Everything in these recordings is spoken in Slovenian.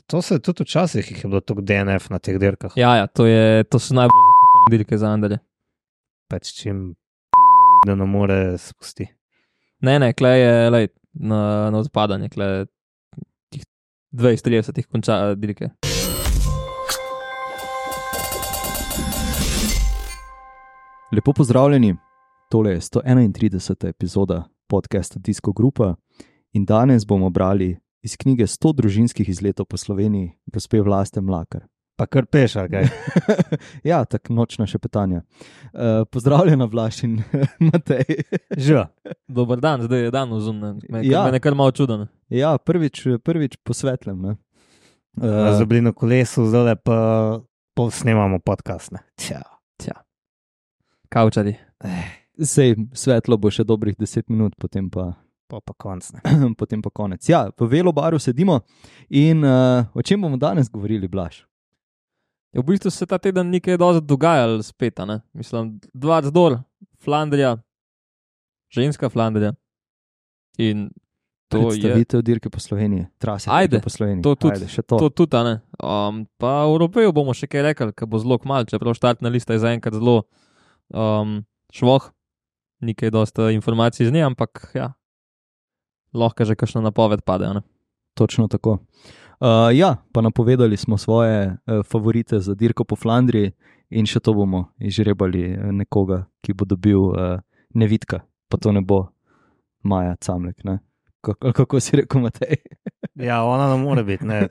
To se tudi včasih jih je bilo toliko DNF na teh dirkah. Ja, to so najbolj zafukane dirke za Anderje. Pač čim da ne more spusti. Ne, klej je lej, na odpadanje, klej tih 20-30 konča dirke. Lepo pozdravljeni, tole je 131. epizoda podcasta Disco Grupa in danes bomo brali iz knjige 100 družinskih izletov po Sloveniji, gospe Vlaste Mlakar. Pa kar peš, ali kaj? Ja, tak nočna šepetanja. Pozdravljena Vlaš in Matej. Živa. Dober dan, zdaj je dan vzumnen, Ja. me je kar malo čuden. Ja, prvič posvetlem, ne? Zdaj bili na kolesu, zdaj pa snemamo podcast, ne? Tja. Kavčari. Sej svetlo bo še dobrih 10 minut, potem pa konc, ne? potem pa konec. Ja, v velobaru sedimo in o čem bomo danes govorili, Blaž? V bistvu se ta teden ni kaj dosti dogajalo spet, ne? Mislim, Dvarc dol, Flandrija, ženska Flandrija. In to je... Predstavitev dirke po Sloveniji, trase Ajde, dirke po Sloveniji. to tudi, Ajde, še to. To tudi, ne? Pa v Evropeju bomo še kaj rekli, ker bo zelo kmalu, čeprav štartna lista je zaenkrat zelo švoh, ni kaj dosti informacij z nje, ampak ja, lahko že kakšna napoved pade, ne? Točno tako. Ja, pa napovedali smo svoje favorite za dirko po Flandriji in še to bomo izžrebali nekoga, ki bo dobil Nevitka, pa to ne bo Maja Camlek, ne? Kako si rekel, Matej? Ja, ona ne more biti, ne.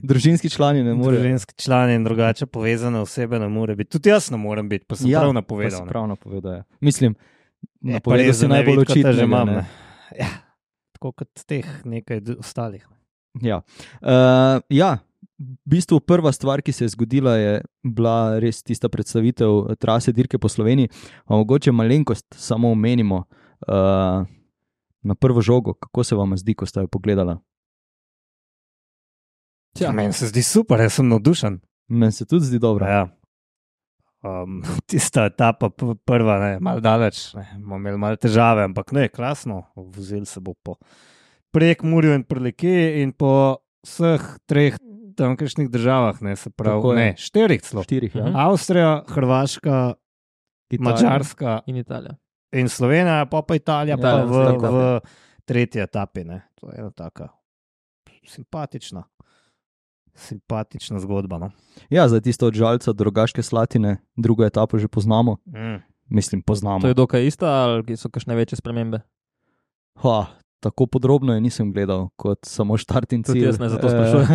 Družinski člani ne more. Družinski člani in drugače povezane osebe ne more biti. Tudi jaz ne morem biti, pa sem prav napovedal. Pa si prav napovedal, ja. Mislim, pa napovedal res, si da najbolj Nevitka te že očitnega, imam, ne? ne. Ja, tako kot teh nekaj ostalih. Ja. Ja, v bistvu prva stvar, ki se je zgodila, je bila res tista predstavitev trase dirke po Sloveniji. A mogoče malenkost samo omenimo na prvo žogo, kako se vam zdi, ko ste jo pogledala? Meni se zdi super, jaz sem navdušen. Meni se tudi zdi dobro. Ja. Tista etapa prva, ne, malo daleč, ne, bomo imeli malo težave, ampak ne, krasno, vozil se bo po Prekmurju in Prlekiji in po vseh treh tamkajšnjih državah, ne, se pravi, ne, štirih celo. Ja. Avstrija, Hrvaška, Madžarska In Italija. in Slovenija, pa Italija, Italija, pa tako. v tretji etapi, ne. To je ena taka simpatična zgodba, no. Ja, zdaj tisto od Žalca do Rogaške Slatine, drugo etapo že poznamo. Mislim, poznamo. To je dokaj ista ali so kakšne večje spremembe? Tako podrobno je nisem gledal, kot samo štart in cilj. Tudi jaz ne, zato sprašujem.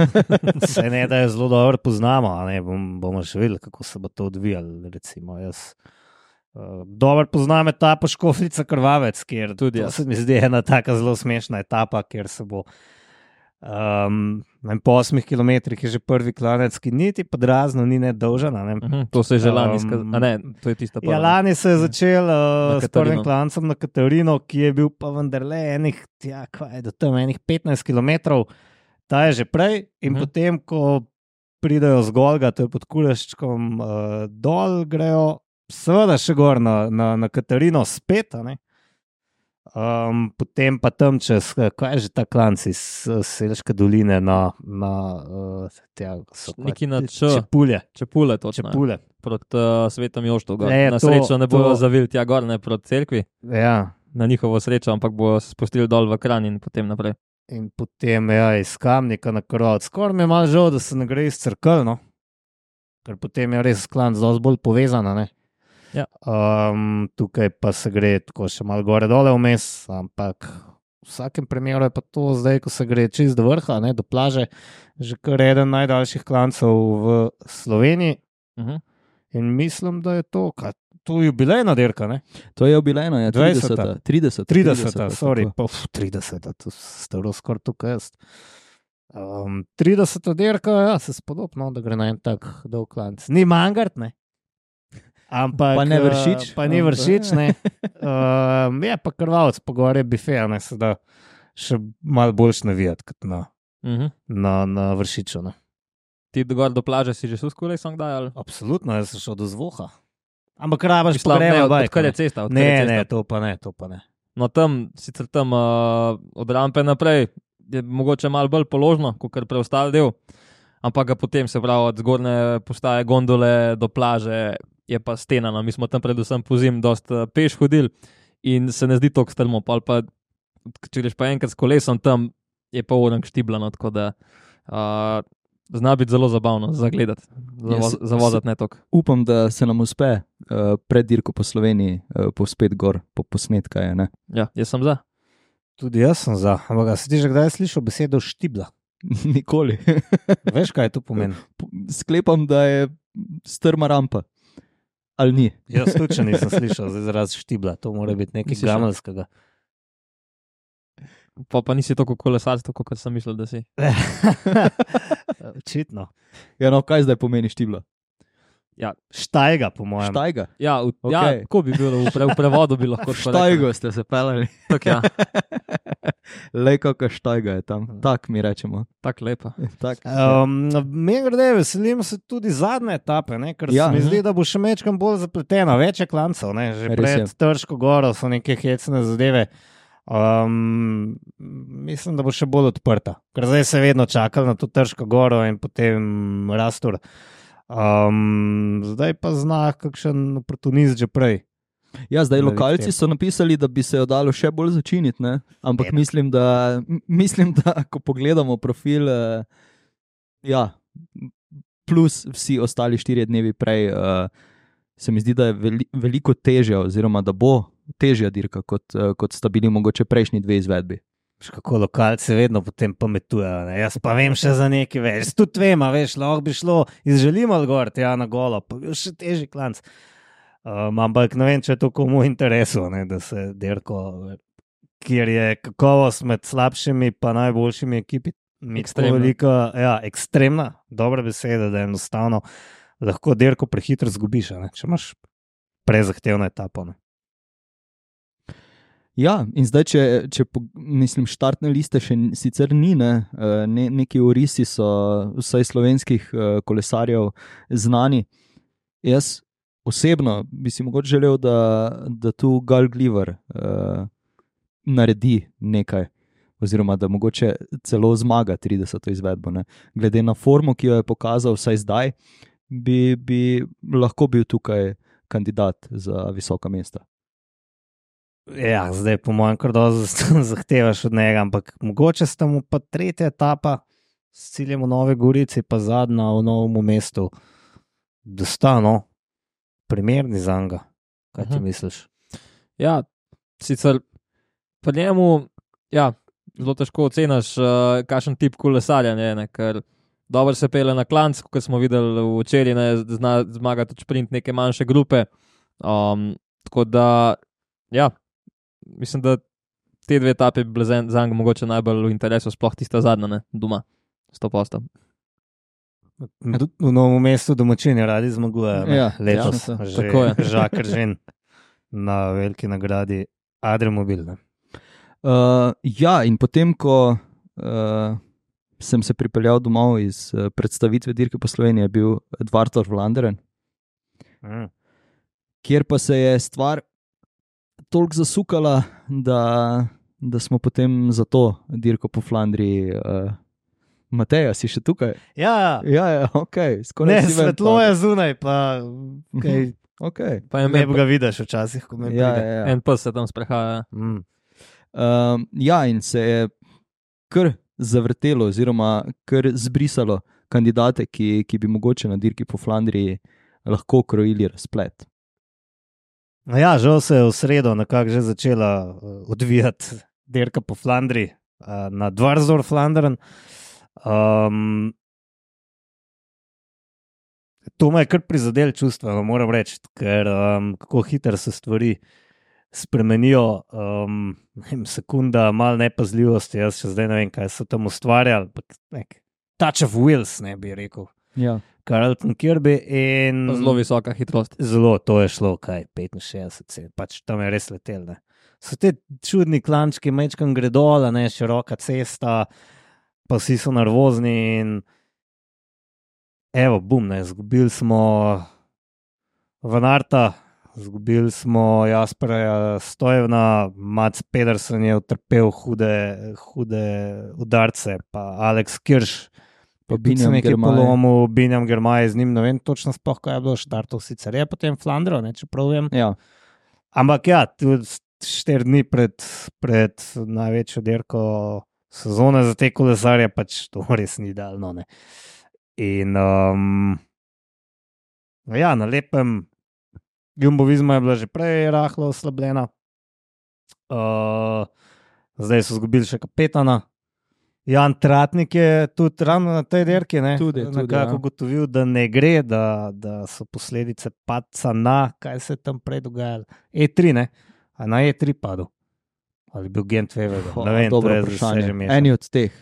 Se ne, da jo zelo dobro poznamo, a ne, bomo še videli, kako se bo to odvijalo, recimo, jaz dobro poznam etapo Škofljica Krvavec, kjer Tudi to jaz. se mi zdi ena taka zelo smešna etapa, kjer se bo po 8 kilometrih je že prvi klanec, ki niti podrazno ni nedolžen, a ne. To se je že lani a ne, to je tista prva. Ja, lani se je začel s Katarino. prvim klancem na Katarino, ki je bil pa vendarle do tam enih 15 kilometrov, ta je že prej in potem, ko pridejo z Golga, to je pod Kuleščkom dol, grejo seveda še gor na Katarino spet, a ne. Potem pa tam čez, kaj je že ta klanc iz Selške doline Neki na Čepulje. Čepule, točno. Čepulje. Proti Svetom Joštu gor. Ne, Na to- srečo ne bojo to- zavili tja gor, ne proti cerkvi, Ja. na njihovo srečo, ampak bojo se spustili dol v Kranj in potem naprej. In potem iz Kamnika na Krvavec. Skoraj mi je malo žal, da se ne gre iz Cerkelj, no. Ker potem je res klanc dosti bolj povezana, ne. Ja. Tukaj pa se gre tako še malo gore dole vmes, ampak v vsakem primeru je pa to zdaj, ko se gre čez do vrha, ne, do plaže, že kar eden najdaljših klancev v Sloveniji in mislim, da je to, to je jubilejna dirka, ne. To je jubilejno, ja, 20. 30. 30, sorry, tako. 30, to staro skoraj tukaj jaz. 30 dirka, ja, se spodobno, da gre na en tak dolg klanc. Ni Mangart, ne. Ampak, Pa ne Vršič. Pa ni Vršič, ne. Je pa Krvavec, pa gore bife, ne, se da še malo boljš navijati, kot na Vršiču, ne. Ti gor do plaže si že skoraj sam kdaj, ali? Absolutno, jaz sem šel do Zvoha. Ampak rabaš Mislim, ne, pogreva bajk. odkar je cesta, odkar Ne, je cesta. ne, to pa ne. No tam, sicer tam od rampe naprej, je mogoče malo bolj položno, kot kar preostali del, ampak ga potem se pravi od zgornje postaje gondole do plaže je pa stena, no. Mi smo tam predvsem po zim dosta peš hodili in se ne zdi toliko strmo, pa če greš pa enkrat s kolesom tam, je pa orang štiblano, tako da zna biti zelo zabavno za gledati, za vozati ne toliko. Upam, da se nam uspe pred dirko po Sloveniji povspet gor po posnetka. Je, ne? Ja, jaz sem za. Tudi jaz sem za, ampak si ti že kdaj slišal besedo štibla? Nikoli. Veš, kaj to pomeni? Sklepam, da je strma rampa. Ali ni? Jaz tudi nisem slišal za izraz štibla, to mora biti nekaj gameljskega. Pa nisi tako kolesarstvo, kot sem mislil, da si. Očitno. Ja, no, kaj zdaj pomeni štibla? Ja, štajga, po mojem. Štajga? Ja, Okay. kako bi bilo v prevodu, bi lahko to rekel. Štajgo ste se pelali. Tak, ja. Lej, kakšna štajga je tam. Tak mi rečemo. Tak lepa. Tak. Meni grede, veselim se tudi zadnje etape, ne? Ker Ja. se mi zdi, da bo še mečkam bolj zapletena. Več je klancev, ne? Že Res pred je. Trško goro so neke hecne zadeve. Mislim, da bo še bolj odprta. Ker zdaj se vedno čakali na to Trško goro in potem Rastor. Zdaj pa zna kakšen oportunist že prej. Ja, zdaj Da lokalci vidite. so napisali, da bi se jo dalo še bolj začiniti, ne? Ampak Ena. mislim, da ko pogledamo profil, ja, plus vsi ostali 4 dnevi prej, se mi zdi, da je veliko težja, oziroma da bo težja dirka, kot sta bili mogoče prejšnji 2 izvedbi. Veš, kako lokalci vedno potem pametujejo. Ne? Jaz pa vem še za nekaj več. Tudi vem, a veš, lahko bi šlo iz Želimal gor, tja na golo, pa bi bil še težji klanc. Ampak ne vem, če je to komu interesu, ne, da se dirko, kjer je kakovost med slabšimi pa najboljšimi ekipi, Ekstremna. velika, ja, ekstremna, dobra beseda, da je enostavno lahko dirko prehitro zgubiš, a ne, če imaš prezahtevno etapo. Ne. Ja, in zdaj, mislim, štartne liste še sicer ni, neki orisi so vsaj slovenskih kolesarjev znani. Jaz osebno bi si mogoče želel, da tu Gal Gliver naredi nekaj, oziroma da mogoče celo zmaga 30. izvedbo. Ne. Glede na formo, ki jo je pokazal vsaj zdaj, bi lahko bil tukaj kandidat za visoka mesta. Ja, zdaj po mojem kar dosti zahtevaš od njega, ampak mogoče sta mu pa 3. etapa s ciljem v Nove Gorici, pa zadnja v Novem mestu, da sta primerni za njega. Kaj ti misliš? Ja, sicer pri njemu, ja, zelo težko oceniš, kakšen tip kolesarja je, ker dobro se pele na klanc, kot smo videli včeraj, zna zmagati tudi sprint neke manjše grupe. Tako da, ja, mislim, da te 2 etape bi bile za njega mogoče najbolj v interesu, sploh tista zadnja, ne, doma, 100%. V Novem mestu domačini radi zmagujejo, Ja, letos, ja, tako je. Žakar Žen na veliki nagradi Adremobil. Ne. Ja, in potem, ko sem se pripeljal domov iz predstavitve dirke po Sloveniji, je bil Dvartor Vlaanderen, kjer pa se je stvar toliko zasukala, da smo potem za to dirko po Flandriji. Mateja, si še tukaj? Ja, Ja, ok. ne, svetlo je zunaj, pa kaj, Okay. Pa je ne bi ga vidiš včasih, ko me Ja, pride. ja, ja. en pes se tam sprehaja. Ja, in se je kar zavrtelo, oziroma kar zbrisalo kandidate, ki bi mogoče na dirki po Flandriji lahko krojili razplet. No ja, žal se je v sredo nekako že začela odvijati dirka po Flandriji, na Dvarzor Flandern. To me je kar prizadelo čustveno, moram reči, ker kako hitro se stvari spremenijo, sekunda, malo nepazljivosti, jaz še zdaj ne vem, kaj so tam ustvarjali, nek touch of wheels, ne bi rekel. Ja. Carlton Kirby in Zelo visoka hitrost. Zelo, to je šlo, kaj, 65, pač tam je res letel. Ne. So te čudni klančki, mečkam gre dol, ne, široka cesta, pa vsi so nervozni in evo, bum, ne, zgubili smo Van Aerta, Zgubili smo Jaspera Stojevna, Mats Pedersen je utrpel hude udarce, pa Alex Kirš, Pa tudi se Binjam nekaj Girmay. polomil, Binjam Girmay z njim, ne vem točno sploh, kaj je bilo štartov, sicer je potem Flandro, ne, čeprav vem. Ja. Ampak ja, tudi 4 dni pred največjo dirko sezone za te kolesarje, pač to res ni idealno. Ne. In ja, na lepem Jumbo Visma je bila že prej rahlo oslabljena. Zdaj so izgubili še kapetana. Jan Tratnik je tudi ravno na tej dirki nekako ugotovil, da ne gre, da so posledice padca na, kaj se je tam prej dogajalo. E3, ne? A na E3 padel. Ali bil Gent Wevelgem? Ne vem, dobro to je vprašanje. že mešano. Eni od teh.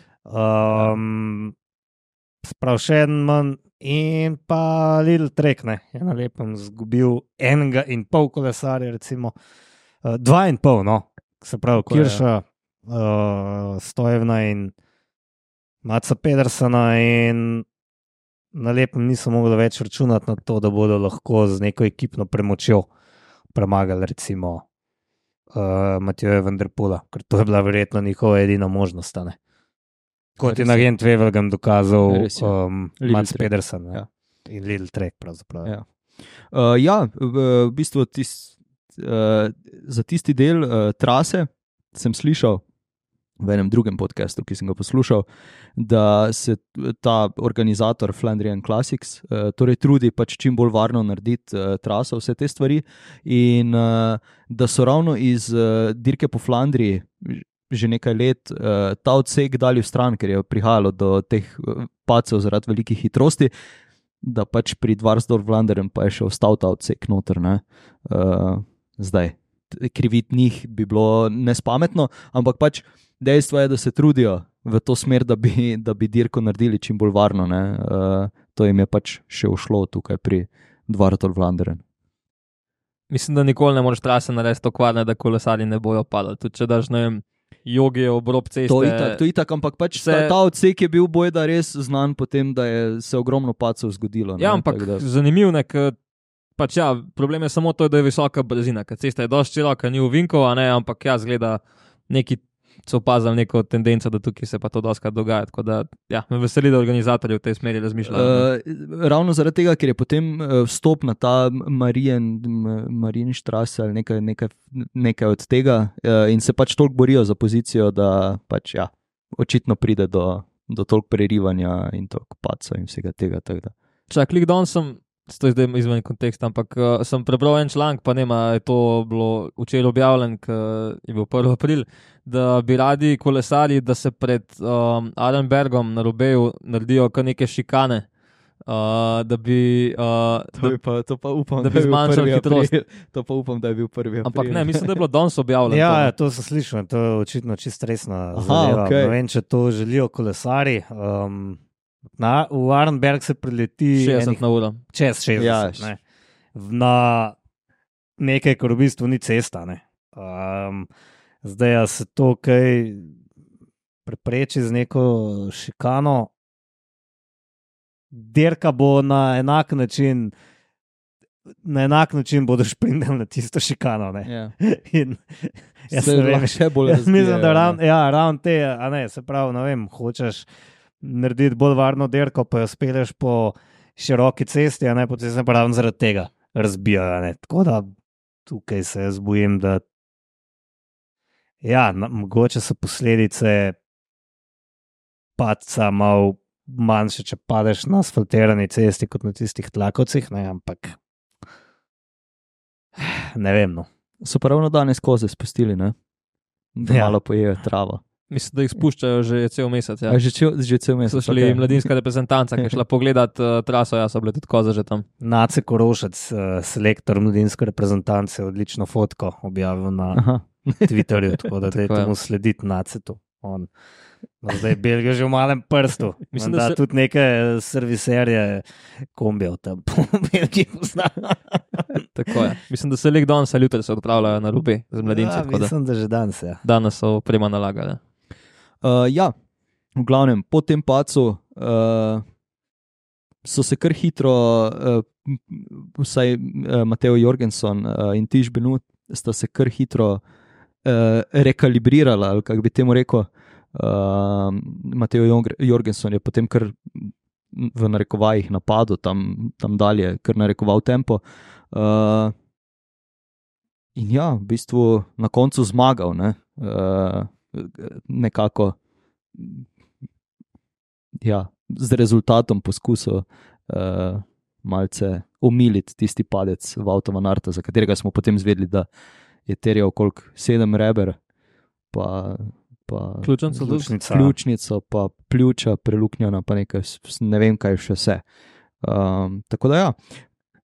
Sprav še en manj in pa Lidl Trek, ne, je na lepem zgubil 1,5 kolesarja, recimo 2,5, no, se pravi Tako je, Kirša, Stojevna in Matsa Pedersena in na lepem niso mogli več računati na to, da bodo lahko z neko ekipno premočjo premagali recimo Matjoja Van der Poela, ker to je bila verjetno njihova edina možnost, ne. Kot je na Gent Wevelgem dokazal Mats Trek. Pedersen, Ja. In Lidl Trek pravzaprav. Ja. V bistvu za tisti del trase sem slišal v enem drugem podcastu, ki sem ga poslušal, da se ta organizator Flandrian Classics torej trudi pač čim bolj varno narediti traso, vse te stvari in da so ravno iz dirke po Flandriji že nekaj let ta odsek dali v stran, ker je prihajalo do teh padcev zaradi velikih hitrosti, da pač pri Dvarsdorf-Vlaanderen pa je še ostal ta odsek noter. Zdaj, kriviti njih bi bilo nespametno, ampak pač dejstvo je, da se trudijo v to smer, da bi dirko naredili čim bolj varno. To jim je pač še ušlo tukaj pri Dvarsdorf-Vlaanderen. Mislim, da nikoli ne moreš trase narediti tako varne, da kolesarji ne bojo padali. Tudi če daš, ne vem, jogi ob rob ceste. To je itak, ampak pač ta odsek je bil bojda res znan potem, da je se ogromno padcev zgodilo. Ja, ampak zanimiv je, pač ja, problem je samo to, da je visoka brzina, ker cesta je dosti široka, ni uvinkova, ampak ja, zgleda neki so opazili neko tendenco, da tukaj se pa to dostakrat dogaja, tako da ja, me veseli, da organizatorji v tej smeri razmišljajo. Ravno zaradi tega, ker je potem vstop na ta Marienstraße ali nekaj od tega in se pač toliko borijo za pozicijo, da pač ja, očitno pride do toliko prerivanja in toliko padca in vsega tega. Čak, klik don sem, to je zdaj izven konteksta, ampak sem prebral en članek, pa nema, je to bilo včeraj objavljen, je bil 1. april, da bi radi kolesarji, da se pred Arenbergom na Roubaixu naredijo kar neke šikane, da bi To pa upam, da bi zmanjšali hitrost. To pa upam, da je bil 1. april. Ampak ne, mislim, da je bilo danes objavljeno. Ja, to sem slišal, to je očitno čisto resna zadeva. Okay. Ne vem, če to želijo kolesarji. V Arenberg se prileti 60 na uro. Čez 60. Ja. Ne. Na nekaj, kar v bistvu ni cesta. Ne. Zdaj se to kaj prepreči z neko šikano. Dirka bo na enak način bodo šprindali na tisto šikano. Ja. In jaz Se ne vem, lahko še bolj jaz mislim, da razbijajo, ravno te, a ne, se pravi, ne vem, hočeš narediti bolj varno dirko, pa jo speleš po široki cesti, a ne, potem se pa ravno zaradi tega razbijajo, ne. Tako da tukaj se jaz bojim, da ja, mogoče so posledice padca malo manjše, če padeš na asfaltirani cesti kot na tistih tlakovcih, ne, ampak ne vem, no. So pa ravno danes koze spustili, ne? Da Ja. malo pojejo travo. Mislim, da jih spuščajo že cel mesec. Ja. A že cel mesec. So šli okej. mladinska reprezentanca, ki je šla pogledat traso, ja, so bile tudi koze že tam. Nace Korošec, selektor mladinske reprezentance, odlično fotko objavil na Aha. Twitterju, tako da Tako je. dajte mu slediti Nacetu. On ima zdaj Belgijo že v malem prstu. Mislim, Da da se- tudi neke serviserje kombijev tam po Belgiji pozna. Tako je. Mislim, da se lik danes ali jutri se odpravljajo na Roubaix z mladinci, Ja, tako da mislim, da že danes, ja. danes so prema nalagali. Ja, v glavnem, po tem padcu so se kar hitro vsaj Mateo Jorgensen in Tiš Benut sta se kar hitro rekalibrirala, ali kako bi temu rekel. Mateo Jorgensen je potem kar v narekovajih napadel tam dalje, kar narekoval tempo. In ja, v bistvu na koncu zmagal, ne? Nekako ja, z rezultatom poskusil malce omiliti tisti padec Wouta van Aerta, za katerega smo potem zvedeli, da je terjal koliko 7 reber, pa ključnico, pa pljuča preluknjena, pa nekaj, ne vem kaj še vse. Tako da ja,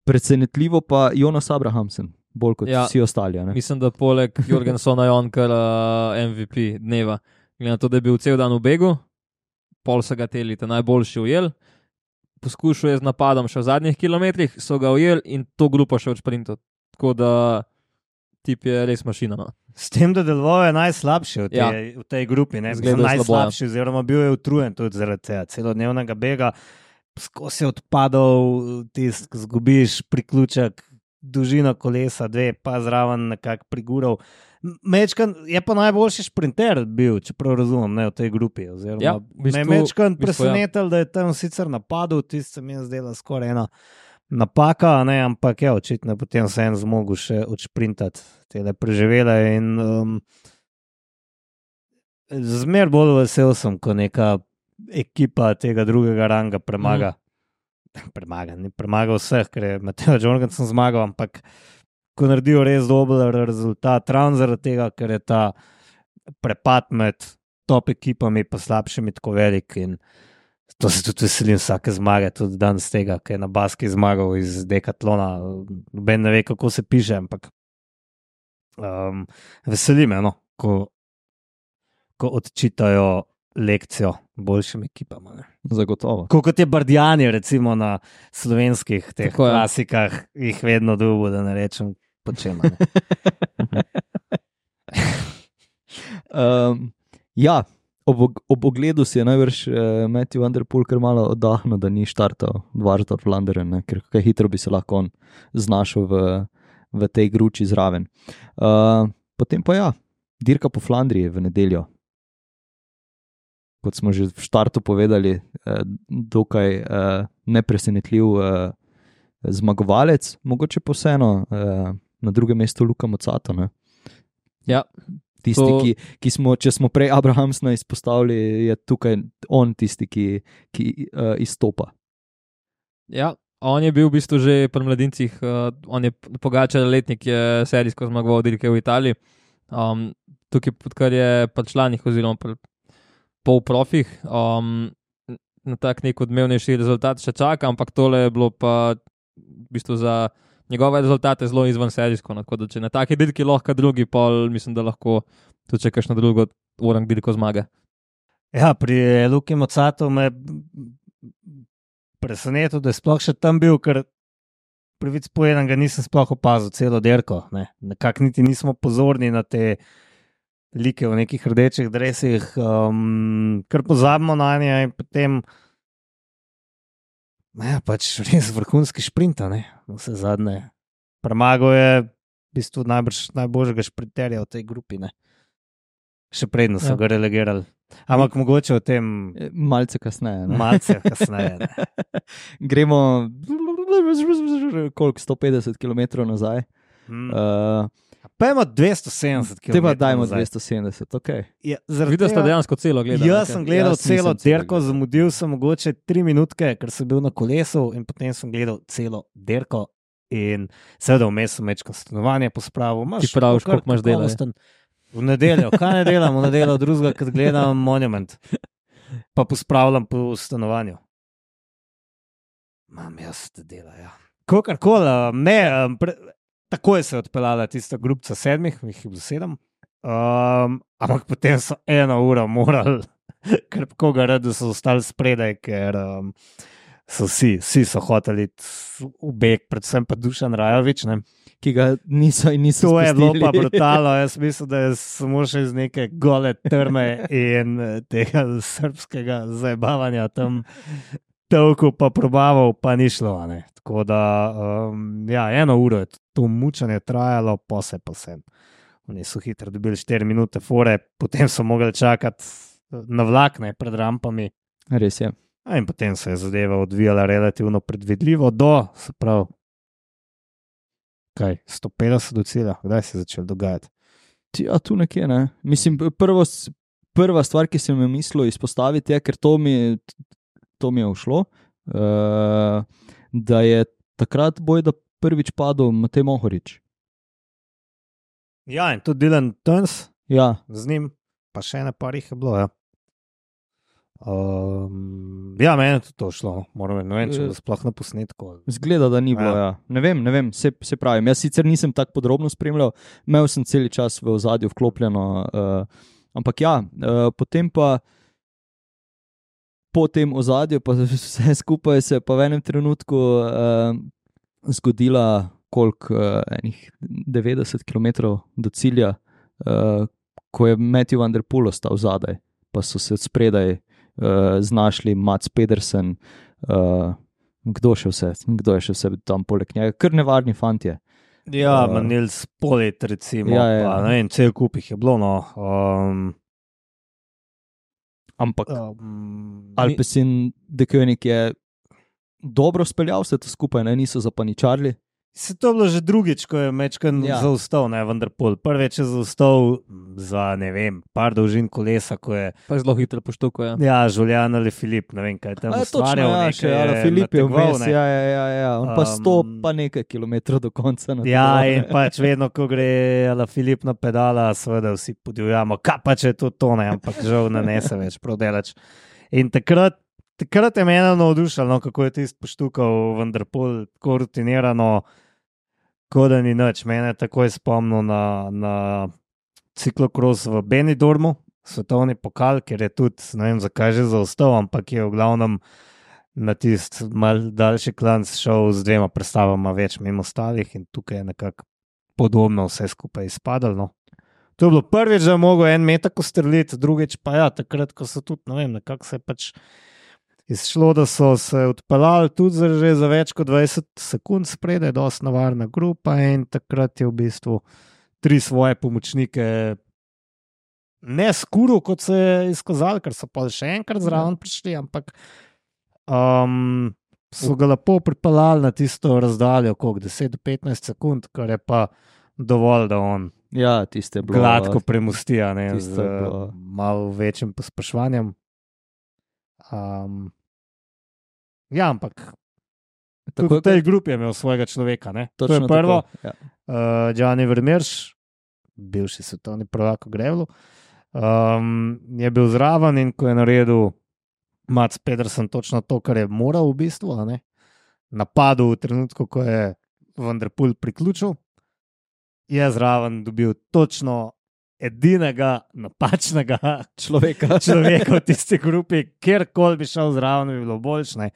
presenetljivo pa Jonas Abrahamsen, bolj kot vsi ostali. Ne? Mislim, da poleg Jorgensona je on kar MVP dneva. Glede na to, da je bil cel dan v begu, pol so ga telite najboljši ujel, poskušal je z napadom še v zadnjih kilometrih, so ga ujel in to grupo še v sprintu. Tako da tip je res mašina. No. S tem, da deloval je najslabši v tej grupi, ne najslabši, oziroma bil je utrujen tudi zaradi tega celodnevnega bega, skozi odpadov, zgubiš priključek, dolžino kolesa, 2, pa zraven nekako prigural. Mečkan je pa najboljši šprinter bil, čeprav razumem, ne, v tej grupi. Oziroma, me je Mečkan presenetil, da je tam sicer napadal, tisto se mi je zdela skoraj ena napaka, ne, ampak je očitno potem se en zmogel še odšprintati tele preživele in zmer bolj vesel sem, ko neka ekipa tega drugega ranga premaga. Ni premagal vseh, ker je Mateo Jorgensen zmagal, ampak ko naredijo res dober rezultat, ravno zaradi tega, ker je ta prepad med top ekipami pa slabšimi tako velik in to se tudi veselim vsake zmage, tudi danes tega, ker je na Baski zmagal iz Decathlona, noben ne ve, kako se piše, ampak veseli me, no, ko odčitajo lekcijo boljšim ekipam. Ne. Zagotovo. Kot je Bardjani, recimo na slovenskih teh klasikah, jih vedno dobo, da ne rečem počema. Ja, ob ogledu si je najbrž Matthew van der Poel kar malo oddahnil, da ni štartal Dvarsdorf Vlaanderen, ker kaj hitro bi se lahko on znašel v tej gruči zraven. Potem pa ja, dirka po Flandriji v nedeljo. Kot smo že v štartu povedali, dokaj nepresenetljiv zmagovalec, mogoče pa vseeno na drugem mestu Luka Mozzato. Ne? Ja. Tisti, ki smo, če smo prej Abrahamsena izpostavili, je tukaj on tisti, ki izstopa. Ja, on je bil v bistvu že pri mladincih, on je Pogačar letnik, je serijsko zmagoval dirke v Italiji. Tukaj, kar je pri članih oziroma pri polprofih, na tak nek odmevnejši rezultat še čaka, ampak tole je bilo pa v bistvu za njegove rezultate zelo izven serijsko, tako da če na taki dirki lahko drugi pol, mislim, da lahko tudi če kakšno drugo orang dirko zmaga. Ja, pri Luki Mozzatu me presenetil, da je sploh še tam bil, ker prvič povedan ga nisem sploh opazil celo dirko, ne. Nekako niti nismo pozorni na te like v nekih rdečih dresih, kar pozabimo na nje in potem pač res vrhunski šprinta, ne, vse zadnje. Premagal je v bistvu najboljšega šprinterja v tej grupi, ne. Še predno so ga relegirali. Ampak mogoče o tem malce kasneje. Ne? Gremo koliko, 150 km nazaj. Pa imamo 270 km. Te pa dajmo 270, ok. Ja, videl ste dejansko celo gledal? Jaz sem gledal celo dirko, zamudil sem mogoče 3 minutke, ker sem bil na kolesu in potem sem gledal celo dirko in seveda vmes sem večkrat stanovanje pospravil. Ti praviš, koliko imaš dela? V nedeljo, kaj ne delam v nedeljo drugega, kad gledam Monument, pa pospravljam po stanovanju. Mam jaz te dela, ja. Kokarkoli, ne, takoj se je odpeljala tista grupca 7, jih je bilo 7, ampak potem so 1 uro morali, ker koga rado so ostali spredaj, ker so vsi so hoteli v beg, predvsem pa Dušan Rajovič, ne. Ki ga niso spustili. To je bilo pa brutalno, jaz mislim, da je samo še iz neke gole trme in tega srbskega zajebavanja tam tevku pa probaval, pa ni šlo. Tako da, ja, 1 uro je to mučenje trajalo, pa sem. Oni so hitro dobili 4 minute fore, potem so mogli čakati na vlak, ne, pred rampami. Res je. In potem se je zadeva odvijala relativno predvidljivo se pravi, 150 do cilja, kdaj se je začel dogajati? Ja, tu nekje, ne. Mislim, prva stvar, ki sem jo mislil izpostaviti, je, ker to mi je ušlo, da je takrat bojda prvič padel Matej Mohorič. Ja, in tudi Dylan Teuns Ja, z njim, pa še ene par jih je bilo, ja. Ja, meni je tudi to šlo, moram reči, ne vem, če bo sploh na posnetku. zgleda, da ni bilo, ja. Ne vem, se pravim. Jaz sicer nisem tako podrobno spremljal, imel sem cel čas v ozadju vklopljeno, ampak ja, potem pa po tem ozadju, pa vse skupaj se pa v enem trenutku zgodila enih 90 km do cilja, ko je Matthew van der Poel ostal zadaj, pa so se spredaj znašli Mats Pedersen, kdo je še vse tam poleg njega, kar nevarni fantje. Ja, Nils Polit, recimo, Ja. pa ne vem, cel kup jih je bilo, no. Ampak Alpecin de Koenig je dobro speljal vse to skupaj, ne? Niso zapaničarili. Se to je bilo že drugič, ko je mečkan zaustal, ne, Van der Poel. Prvič je zaustal za, ne vem, par dolžin kolesa, ko je... Pa je zelo hitro poštuko, ja. Ja, Julian ali Filip, ne vem, kaj je tam ustvarjal. Točno, ja, še Ala Filip je vmes, ja. On pa 100 pa nekaj kilometrov do konca. Ja, in pač vedno, ko gre Ala Filip na pedala, seveda vsi podivjamo, kaj pa če je to tone, ampak žal ne nese več prav delač. In takrat je mene navdušalo, kako je tisti poštukal Van der Poel, tako rutinirano, kot da ni nič. Mene je takoj spomnil na ciklokros v Benidormu, svetovni pokal, ker je tudi, ne vem zakaj že zaostal, ampak je v glavnem na tisti mal daljši klanc šel z 2 predstavama več mimo ostalih in tukaj je nekako podobno vse skupaj izpadalo. To je bilo prvič, da je mogel 1 metak ustreliti, drugič pa ja, takrat, ko so tudi, ne vem, nekako se je pač izšlo, da so se odpeljali tudi že za več kot 20 sekund spredaj, dosti nevarna grupa in takrat je v bistvu 3 svoje pomočnike ne skuril, kot se je izkazalo, ker so pa še enkrat zraven prišli, ampak so ga lepo pripeljali na tisto razdaljo, koliko 10 do 15 sekund, kar je pa dovolj, da on tiste je bilo gladko premosti, ne, tiste z je bilo. malo večjim pospeševanjem. Ja, ampak tudi v tej grupi je imel svojega človeka, ne? To je prvo. Ja. Gianni Vermeersch, bivši svetovni prvak v grevlu, je bil zraven in ko je naredil Mats Pedersen točno to, kar je moral v bistvu, ne? Napadel v trenutku, ko je Van der Poel priključil, je zraven dobil točno edinega napačnega človeka v tisti grupi, kjerkoli bi šel zraven, bi bilo boljše.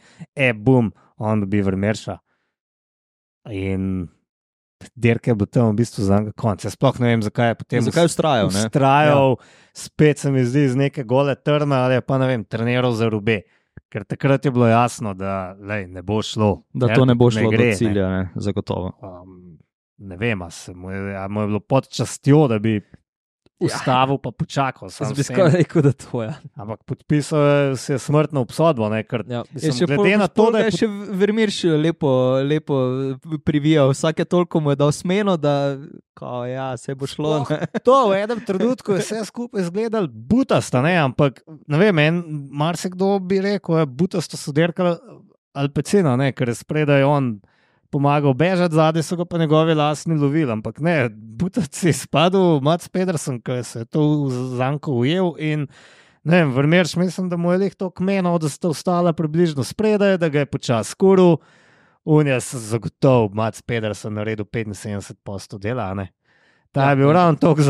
Bum, on dobi Vermeerscha. In dirke je bil tam v bistvu za njega konc. Jaz sploh ne vem, zakaj je potem ustrajal, spet se mi zdi z neke gole trme, ali pa ne vem, treniral za Rube. Ker takrat je bilo jasno, da ne bo šlo. Da to ne bo šlo do cilja, ne, zagotovo. Ne vem, mu je bilo pod častjo, da bi ustavil pa počakal. Jaz bi skoraj rekel, da to je. Ampak podpisal se je smrtno obsodbo, ne, ker glede na to, da je še Vermeersch lepo privijal, vsake toliko mu je dal smeno, da se bo šlo. To v enem trenutku je vse skupaj izgledal butasto, ne, ampak ne vem, marsikdo bi rekel, butasto so dirkali Alpecina, ne, ker je spredaj on pomagal bežati, zadaj so ga pa njegovi lastni lovili, ampak ne, butac je spadal Mats Pedersen, ki se je to zanko ujel in ne vem, Vermeersch mislim, da mu je leh to kmenil, da sta ostala približno spredaj, da ga je počas skuril, on je zagotov Mats Pedersen naredil 75% dela, ne. Ta je bil ravno toliko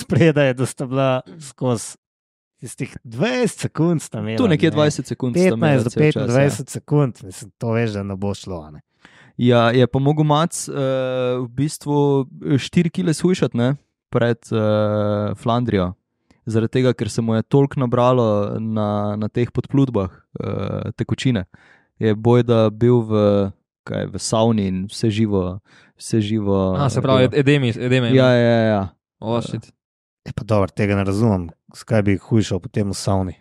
spredaj, da sta bila skozi tistih 20 sekund sta imela. Tu nekje 20 sekund sta imela. 15 do 25 sekund, mislim, to veš, da ne bo šlo, ne. Ja, je pa mogel Mats v bistvu 4 kile shujšati, ne, pred Flandrijo. zaradi tega, ker se mu je toliko nabralo na teh podplutbah tekočine. Je bojda bil v savni in vse živo. Se pravi, edemi. Ja. Pa dobro, tega ne razumem. Skaj bi hujšal potem v savni?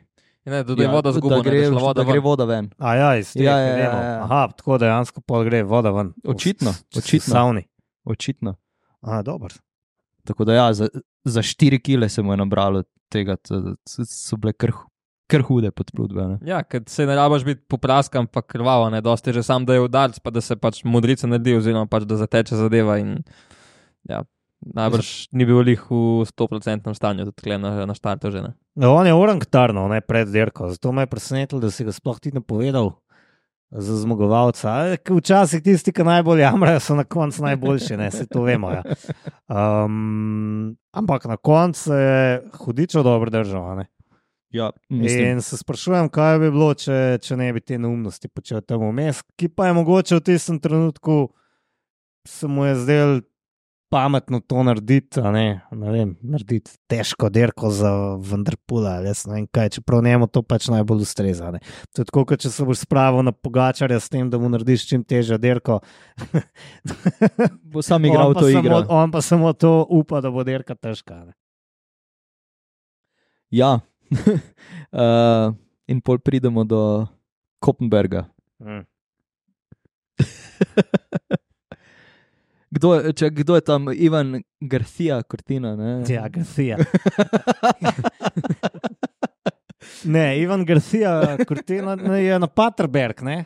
Ne, tudi voda zgubljena, da gre voda ven. Iz tega edemov. Aha, tako dejansko pol gre voda ven. Očitno. V savni. Očitno. Dobro. Tako da za 4 kile se mu je nabralo tega, so bile kar hude podplutbe. Ne? Ja, ker se ne rabaš biti popraskan, pa krvavo, ne, dosti je že sam, da je udarc, pa da se pač modrica naredi, oziroma pač da zateče zadeva in ja, najbrž ni bil lih v 100% stanju, tudi tukaj na štartu že, ne. No, on je orangtarno, ne, pred dirko, zato me je presenetilo, da si ga sploh ti ne povedal za zmagovalca. Včasih tisti, ki najbolj jamrajo, so na koncu najboljši, ne, se to vemo, ja. Ampak na koncu je hudičo dobro držal, ne. Ja, in se sprašujem, kaj bi bilo, če ne bi te neumnosti počel tam vmes, ki pa je mogoče v tistem trenutku se mu je zdel pametno to narediti, narediti težko dirko za Vanderpoola, jaz ne vem kaj, čeprav njemu to pač najbolj ustreza, ne. To je tako, kot če se boš spravil na Pogačarja s tem, da mu narediš čim težjo dirko. Bo sam igral to igro. On pa samo to upa, da bo dirka težka, ne. Ja. In pol pridemo do Koppenberga. Kdo je tam? Ivan Garcia Cortina, ne? Ja, Garcia. Ne, Ivan Garcia Cortina je na Paterberg, ne?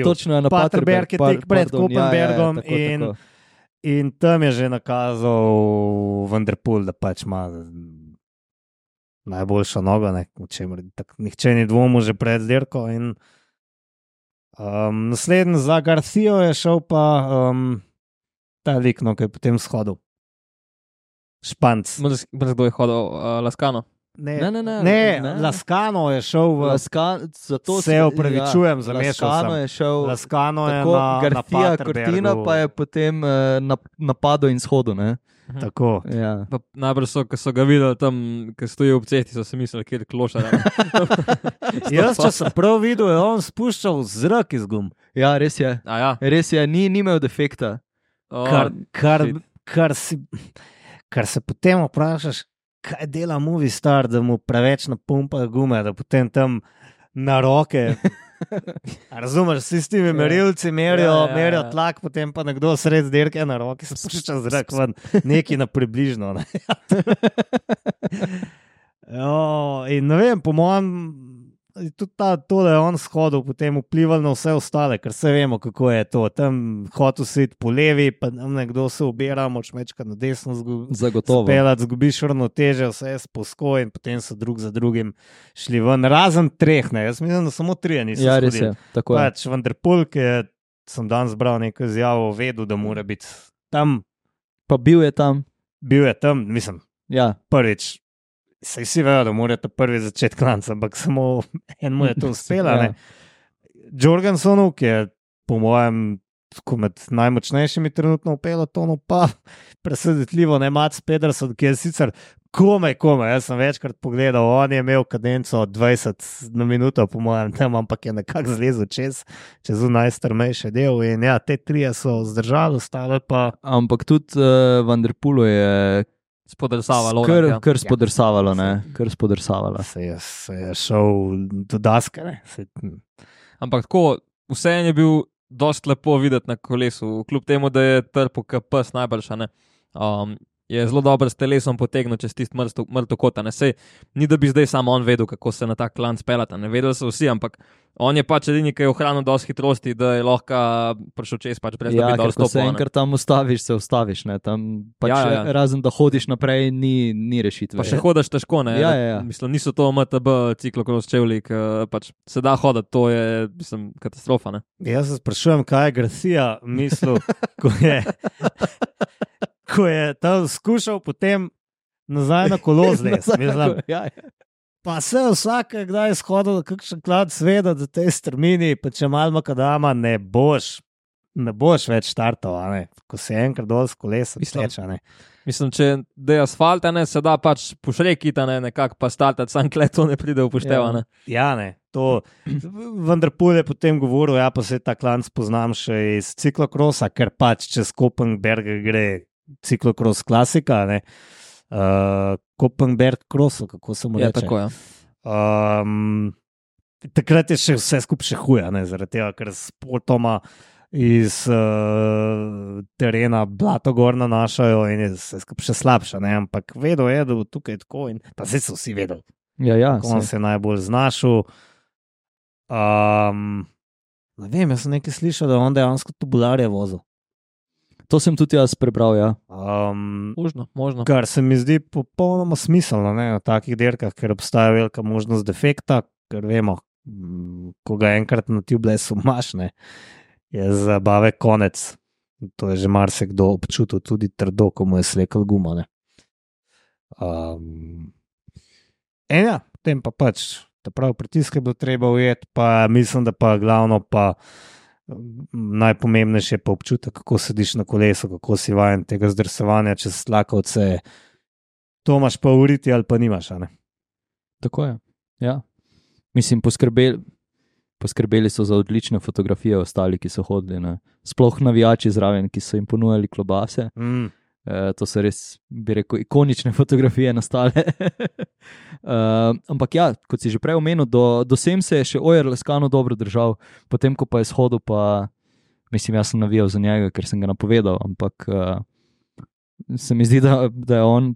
Točno je na Paterberg. Je tek pred Koppenbergom in tam je že nakazal Vanderpool, da pač ima najboljša noga, nihče ni dvomil že pred dirko in naslednji za Garcijo je šel pa ta lik, ki je potem shodil. Španc. Kdo je hodil? Lascano? Ne, Lascano je šel v... Se opravičujem, zamešal sem. Lascano je na Garcia Cortina pa je potem napadel in shodil, ne? Tako. Ja. Najbrž so ga videli tam, ki stoji ob cesti, so se mislili, kjer klošar. Jaz, če sem prav videl, je on spuščal zrak iz gum. Ja, res je. Ja. Res je, ni imel defekta. Kar se potem vprašaš, kaj dela Movistar, da mu preveč napumpajo gume, da potem tam na roke... Razumeš, vsi s temi merilci merijo tlak, potem pa nekdo sred dirke na roki spušča zrak ven, neki na približno. Ne? In ne vem, po mojem, tudi to, da je on shodil, potem vplival na vse ostale, ker se vemo, kako je to. Tam hotel si iti po levi, pa nekdo se ubira, moč mečka na desno spelat, zgubiš ravnoteže, vse je sposko in potem so drug za drugim šli ven. Razen 3, ne, jaz mislim, da samo 3 niso shodili. Ja, res je, tako je. Pač Vanderpool, ki sem danes bral neko izjavo, vedel, da mora biti tam. Pa bil je tam, mislim, ja. Prvič. Saj vsi vejo, da morate prvi začeti klanca, ampak samo enemu je to uspela. Ja. Jorgensonu, ki je po mojem med najmočnejšimi trenutno v pelotonu, pa presenetljivo ne Mats Pedersen, ki je sicer komaj, jaz sem večkrat pogledal, on je imel kadenco 20 na minuto, po mojem tem, ampak je nekako zlezel čez najstrmejši del in ja, te 3 so zdržali, ostale pa... Ampak tudi Vanderpoolu je spodrsavalo. Kar spodrsavalo, ne? Kar spodrsavalo. Se je šel do daske, ne? Ampak tako, vse je bil dost lepo videti na kolesu, kljub temu, da je trpel KPS najboljša, ne? Je zelo dobro s telesom potegnil čez tisti mrtev kota, ne? Sej, ni da bi zdaj samo on vedel, kako se na tak klanc pelata, ne? Vedeli so vsi, ampak on je pač edini, ki je ohranil dosti hitrosti, da je lahko prišel čez, pač brez da bi dal stopil. Ja, ko se enkrat tam ustaviš, ne? Tam pač razen, da hodiš naprej, ni rešitve. Pa še hodaš težko, ne? Ja. Mislim, niso to MTB ciklokros čevlji, pač se da hodati, to je, mislim, katastrofa, ne? Jaz se sprašujem, kaj je Garcia mislil, ko je tam skušal potem nazaj na kolo zlez. Pa se vsake kdaj shodil, kakšen klad sveda, da te strmini, pa če malo makadama, ne boš več štartov, ko se enkrat dol s kolesa steča. Mislim, če je asfalt, ne, se da pač pošrekiti, nekako pa startati, sam kle to ne pride upoštevane. Ja, ne, to. Vendar Pul je potem govoril, ja, pa se ta klanc poznam še iz ciklokrosa, ker pač čez Kopenberg gre ciklokros klasika, ne. Kopenberg cross, kako se mu reče. Ja, tako je. Takrat je še vse skupaj še huje, zaradi tega, ker spotoma iz terena blato gor nanašajo in je vse skupaj še slabše, ne? Ampak vedel je, da bo tukaj tako in pa zdaj so vsi vedeli. Ja, on se je najbolj znašel. Ne vem, jaz sem nekaj slišal, da on dejansko tubularje vozil. To sem tudi jaz prebral, ja. Možno. Kar se mi zdi popolnoma smiselno, ne, na takih dirkah, ker obstaja velika možnost defekta, ker vemo, ko ga enkrat na tubelessu imaš, ne, je zabave konec. To je že marsikdo občutil, tudi trdo, ko mu je slekel guma, ne. Ja, potem pa pač, ta prav pritisk je bilo treba ujeti, pa mislim, da pa glavno pa najpomembnejše je pa občutek, kako sediš na kolesu, kako si vajen tega zdrsevanja čez tlakovce. To imaš pa uriti ali pa nimaš, ne? Tako je, ja. Mislim, poskrbeli so za odlične fotografije ostali, ki so hodili, ne. Sploh navijači zraven, ki so jim ponujali klobase. To so res, bi rekel, ikonične fotografije nastale. Ampak ja, kot si že prej omenil, do sem se je še Ojer Leskano dobro držal, potem ko pa je shodil, pa mislim, jaz sem navijal za njega, ker sem ga napovedal, ampak se mi zdi, da je on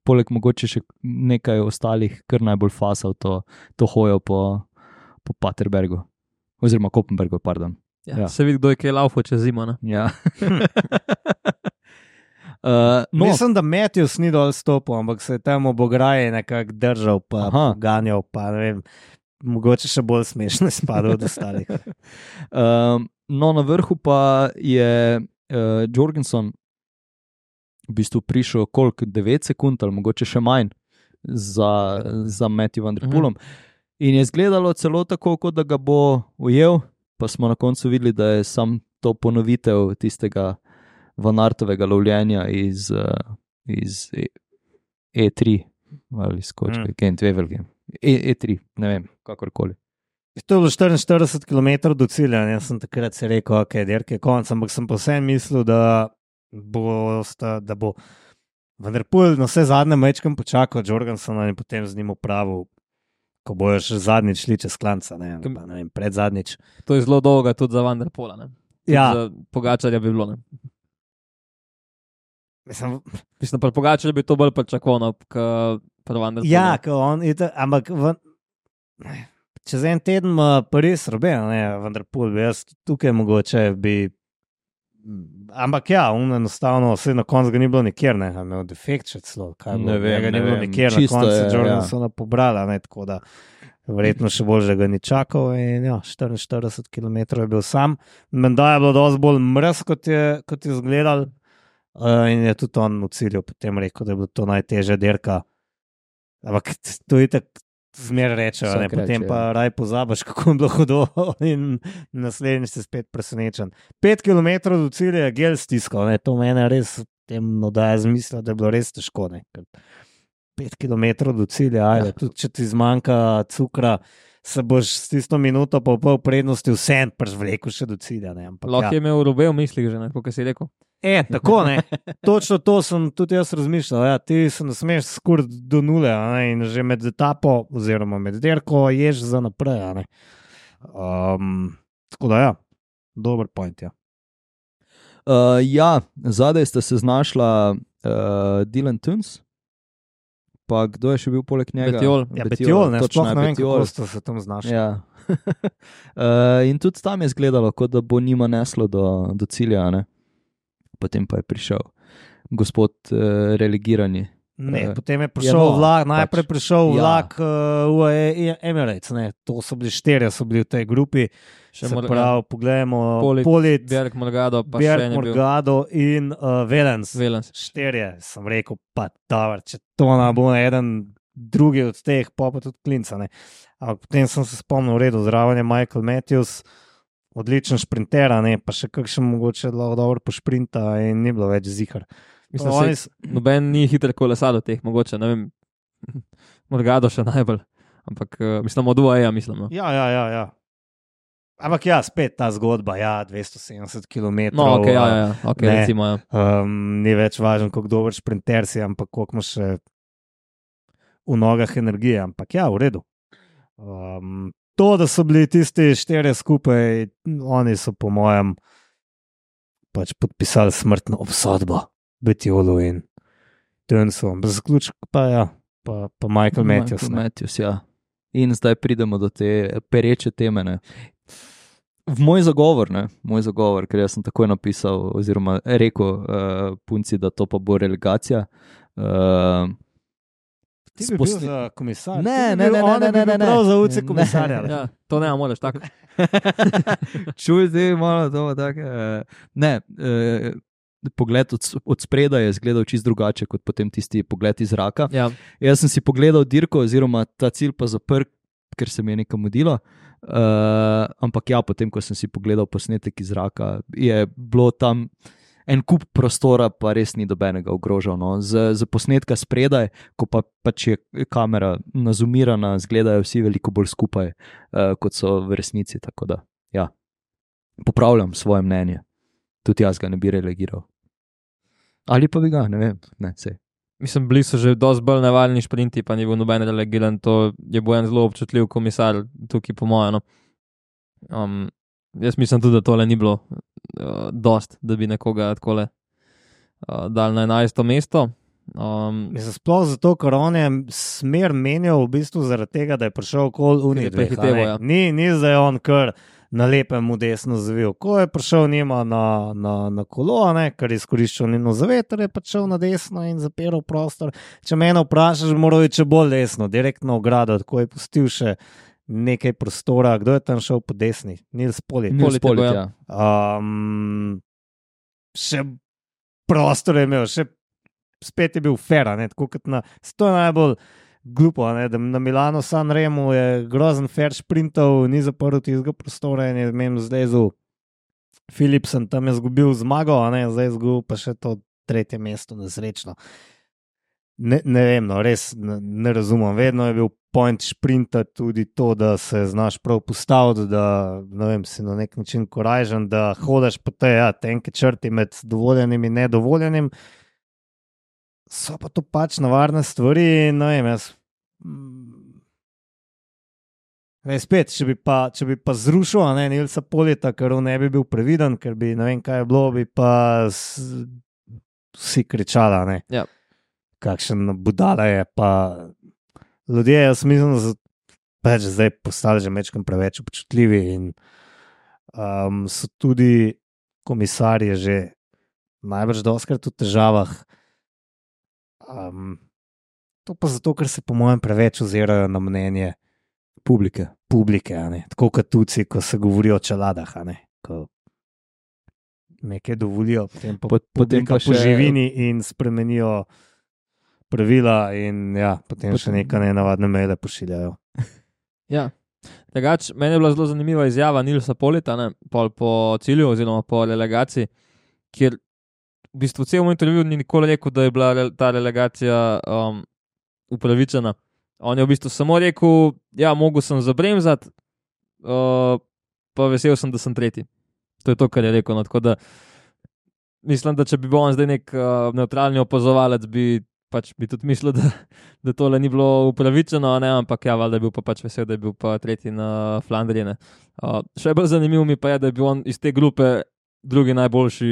poleg mogoče še nekaj ostalih kar najbolj fasal to hojo po Paterbergu, oziroma Kopenbergu, pardon. Ja. Se vidi, kdo je kaj laufo čez zimo, ne? Ja. Mislim, da Matthews ni dol stopil, ampak se je tam ob ograji nekako držal, pa ganjal, pa ne vem, mogoče še bolj smešno spadal od ostalih. Na vrhu pa je Jorgensen v bistvu prišel koliko, 9 sekund ali mogoče še manj za Matthew van der Poelom. In je izgledalo celo tako, kot da ga bo ujel, pa smo na koncu videli, da je sam to ponovitev tistega Van Aertovega lovljenja iz E3 ali skočke, Gent Wevelgem. E3, ne vem, kakorkoli. To je bilo 44 km do cilja, jaz sem takrat se rekel, ok, dirke je konc, ampak sem pa vsem mislil, da bo Van der Poel na vse zadnje mečkem počakal Jorgensena in potem z njim upravil, ko bojo še zadnjič šli čez klanca, ne vem, pred zadnjič. To je zelo dolga tudi za Van der Poela, ne? Ja. Za Pogačarja bi bilo, ne? Mislim, pa Pogačar bi to bolj pričakoval, kot Van der Poel. Ja, ampak čez en teden pa res robe, ne, Van der Poel bi jaz tukaj mogoče bi, ampak ja, enostavno vse na koncu ga ni bilo nikjer, ne, imel defekt še celo, kaj bilo, ga ni bilo nikjer, na koncu se Jorgensena pobrala, ne, tako da verjetno še bolj, že ga ni čakal in ja, 44 km je bil sam, menda je bilo dosti bolj mrz, kot je izgledal. In je tudi on v cilju potem rekel, da je bilo to najtežja dirka. Ampak to je tako zmer rečejo, ne? Potem pa raj pozabaš, kako je bilo hudo in naslednji si spet presenečen. 5 km do cilja je gel stiskal, ne? To mene res temno daje zmisla, da je bilo res težko. 5 km do cilja, ajde, tudi če ti zmanjka cukra, se boš s tisto minuto pa v pol prednosti vsem vlekel še do cilja. Lahko je imel robe v mislih že, ne? Kako si rekel. Tako, ne. Točno to sem tudi jaz razmišljal. Ja, ti se ne smeš skuriti do nule, ne, in že med etapo oziroma med dirko ješ za naprej. Ne. Tako da ja, dober point, ja. Ja, zadaj sta se znašla Dylan Teuns, pa kdo je še bil poleg njega? Bettiol, ne, sploh ne vem, kako sta se tam znašla. Ja. In tudi tam je izgledalo, kot da bo njima neslo do cilja, ne. Potem pa je prišel gospod relegirani. Ne, potem je prišel vlak, najprej prišel vlak UAE Emirates, ne, to so bili 4, so bili v tej grupi, se pravi, poglejmo, Polit, Bjerg Morgado, pa Morgado in Velens. 4, sem rekel, pa dober, če to ne bo eden drugi od teh, pa tudi Klinca, ne. Ampak potem sem se spomnil, v redu, zraven je Michael Matthews, odličen šprinter, ne, pa še kakšen mogoče dobro pošprinta in ni bilo več zihar. Mislim, noben ni hiter kolesar od teh, mogoče, ne vem, Morgado še najbolj, ampak mislim, od UAE, mislim. No. Ja. Ampak ja, spet ta zgodba, 270 km. No, ok, recimo. Ja. Ni več važno, kako dober šprinter si, ampak koliko imaš še v nogah energije, ampak ja, v redu. To, da so bili tisti 4 skupaj, oni so po mojem pač podpisali smrtno obsodbo, Betiolu in Tönsu. Zaključek pa ja, pa Michael Matthews. Ja. In zdaj pridemo do te pereče teme. Ne. V moj zagovor, ker jaz sem takoj napisal oziroma rekel punci, da to pa bo relegacija. Ti bi bil za komisar? Ne. Prav za uce komisarja. Ja, to ne moreš tako. Čuj, zdaj malo to tako. Ne, pogled od spredaj je izgledal čisto drugače kot potem tisti pogled iz zraka. Ja. Jaz sem si pogledal dirko oziroma ta cilj pa zaprl, ker se mi je nekam mudilo. Ampak ja, potem, ko sem si pogledal posnetek iz zraka, je bilo tam en kup prostora, pa res ni dobenega ogrožal. No. Z posnetka spredaj, ko pač je kamera nazumirana, izgledajo vsi veliko bolj skupaj, kot so v resnici. Tako da, ja, popravljam svoje mnenje. Tudi jaz ga ne bi relegiral. Ali pa bi ga, ne vem, ne, sej. Mislim, bili so že dosti bolj nevarni šprinti, pa ni bil noben relegiran, to je bil en zelo občutljiv komisar tukaj po mojem. No. Jaz mislim tudi, da tole ni bilo dost, da bi nekoga takole dal na 11. mesto. Sploh zato, ker on je smer menjal v bistvu zaradi tega, da je prišel okoli Unije. Ja. Ni zdaj on kar na lepem mu desno zavil. Ko je prišel njima na kolo, ker je izkoriščal njeno zaveter, je pa šel na desno in zapiral prostor. Če mene vprašaš, moral je če bolj desno, direktno ogrado, tako je pustil še nekaj prostora. Kdo je tam šel po desni? Nils Polit. Ja. Še prostor je imel, še spet je bil fair, tako kot to je najbolj glupo, da na Milano San Remu je grozen fair šprintov, ni zaprl tistega prostora in je zdaj z Philipsen tam je zgubil zmago, zdaj je zgubil pa še to 3. mesto nesrečno. Ne vem, res ne razumem. Vedno je bil point šprinta tudi to, da se znaš prav postaviti, da si na nek način korajžen, da hodaš po tej tenke črti med dovoljenim in nedovoljenim. So pa to pač navarne stvari, spet, če bi pa zrušil Nilsa Polita, ker on ne bi bil previden, ker bi ne vem kaj je bilo, bi pa vsi kričala, Ja. Kakšen budala je, pa ljudje, jaz mislim, da pač zdaj postali že mečkam preveč občutljivi in so tudi komisarji že najbrž dostkrat v težavah. To pa zato, ker se po mojem preveč ozirajo na mnenje publike, tako kot tuci, ko se govori o čeladah, ko nekaj dovolijo, potem pa še živini in spremenijo pravila in potem še nekaj nenavadne maile pošiljajo. Ja, drugače, meni je bila zelo zanimiva izjava Nilsa Polita, po cilju oziroma po relegaciji, kjer v bistvu cel moj intervju ni nikoli rekel, da je bila ta relegacija upravičena. On je v bistvu samo rekel, mogel sem zabremzati, pa vesel sem, da sem 3. To je to, kar je rekel. No, tako da mislim, da če bi bil on zdaj nek nevtralni opazovalec, bi tudi mislil, da tole ni bilo upravičeno, ampak valjda je bil pa pač vesel, da je bil pa 3. na Flandriji. Še bolj zanimivo mi pa je, da je bil on iz te grupe drugi najboljši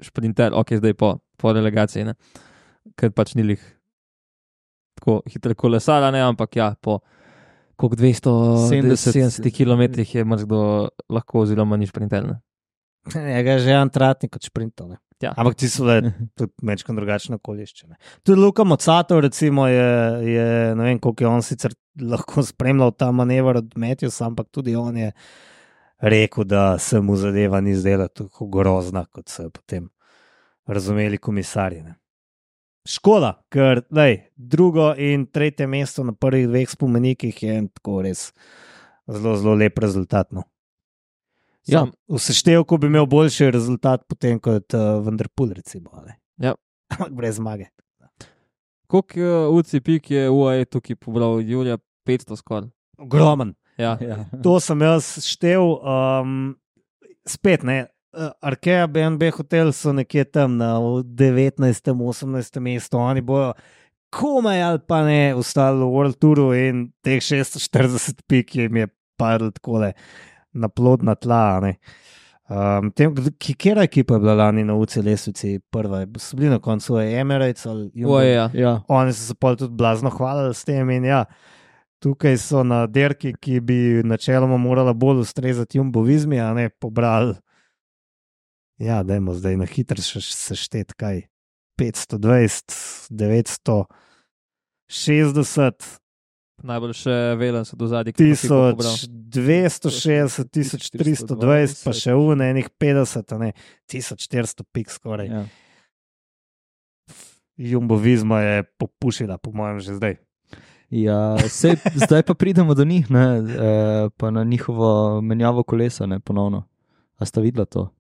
šprinter, zdaj po relegaciji, ker pač ni lih tako hitro kolesar, ampak po koliko 270 km je mrzkdo lahko oziroma ni šprinter. Njega je že en tratnik kot šprintov. Ja. Ampak ti so tudi mečkam drugačne okolišče. Tudi Luka Mocato recimo je ne vem, koliko je on sicer lahko spremljal ta manever od Matthewsa, ampak tudi on je rekel, da se mu zadeva ni zdela tako grozna, kot so potem razumeli komisarji. Škoda, ker 2. in 3. mesto na prvih 2 spomenikih je tako res zelo, zelo lep rezultat. V seštevku bi imel boljši rezultat potem kot Van der Poel recimo. Ja, ampak brez zmage. Koliko UCI pik je UAE tukaj pobral? Julija 500 skoraj. Ogromen. Ja. Ja. To sem jaz štev. Spet ne. Arkea BNB hotel so nekje tam na 19. 18. mestu. Oni bojo komaj ali pa ne ostali v World Touru in teh 640 pik jim je padlo takole na plodna tla. Ne. Kjera ekipa je bila lani na UCI lestvici prva? So bili na koncu Emirates ali Jumbo? UAE, ja. Ja. Oni so se pol tudi blazno hvalili s tem in ja, tukaj so na derki, ki bi načeloma morala bolj ustrezati Jumbo Vismi, a ne pobrali. Ja, dajmo zdaj na hitro seštet kaj. 520, 960, Najbolj še velen so do zadnjih 1260, 1320, pa še enih 50, a ne 1400 pik skoraj. Ja. Jumbo Visma je popušila, po mojem, že zdaj. Ja, zdaj pa pridemo do njih, ne, pa na njihovo menjavo kolesa, ne, ponovno. A sta videla to?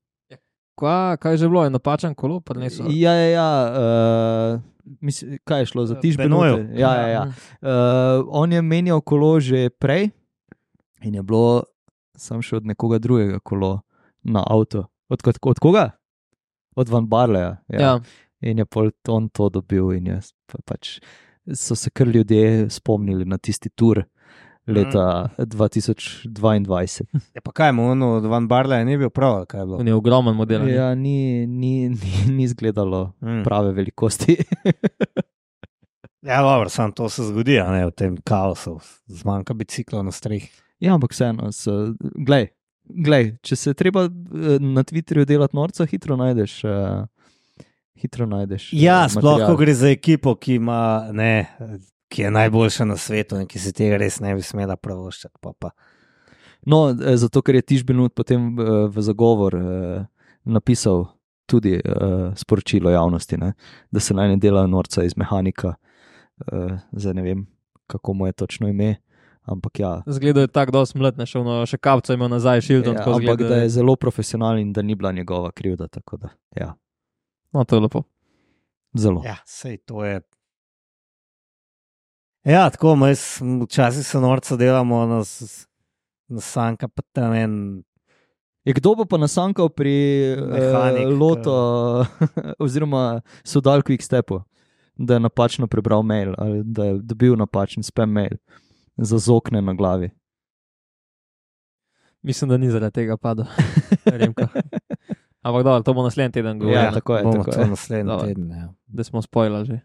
Kaj je že bilo, je napačen kolo? Mislim, kaj je šlo za Benoju. Tišbenoju? Ja. On je menjal kolo že prej in je bilo sam še od nekoga drugega kolo na avto. Od koga? Od Van Barleja. Ja. In je pol on to dobil in je pač so se kar ljudje spomnili na tisti tur leta 2022. Je pa kaj mu ono od Van Barleja ni bil prav, ali kaj je bilo? On je ogromen model. ne? Ja, ni izgledalo prave velikosti. Ja, dobro, samo to se zgodi, a ne v tem kaosu, zmanjka biciklov na strehi. Ja, ampak vseeno, glej, če se je treba na Twitterju delati norca, hitro najdeš. Ja, sploh material. ko gre za ekipo, ki ima, ne, ki je najboljša na svetu in ki se tega res ne bi smela pravoščati. Pa. No, zato ker je Tišbenut potem v zagovor napisal tudi sporočilo javnosti, ne, da se naj ne dela norca iz mehanika. Zdaj ne vem, kako mu je točno ime, ampak ja. Zgleda je tako dosti mlad, ne šel, še kapco imel nazaj, Shildon. Ja, ampak da je zelo profesionalen in da ni bila njegova krivda, tako da, ja, No, to je lepo. zelo. Ja, sej to je. Ja, tako, včasih se norca delamo na sanka, pa tam en. Kdo bo pa nasankal pri Mehanik, Loto oziroma Sodal Quickstepu, da je napačno prebral mail ali da je dobil napačen spam mail za zokne na glavi. Mislim, da ni zaradi tega padel. Remko. Ampak dobro, to bo naslednji teden govoril. Ja, tako je, bomo tako to je. naslednji Dobro. teden. Ja. Da smo spojili že.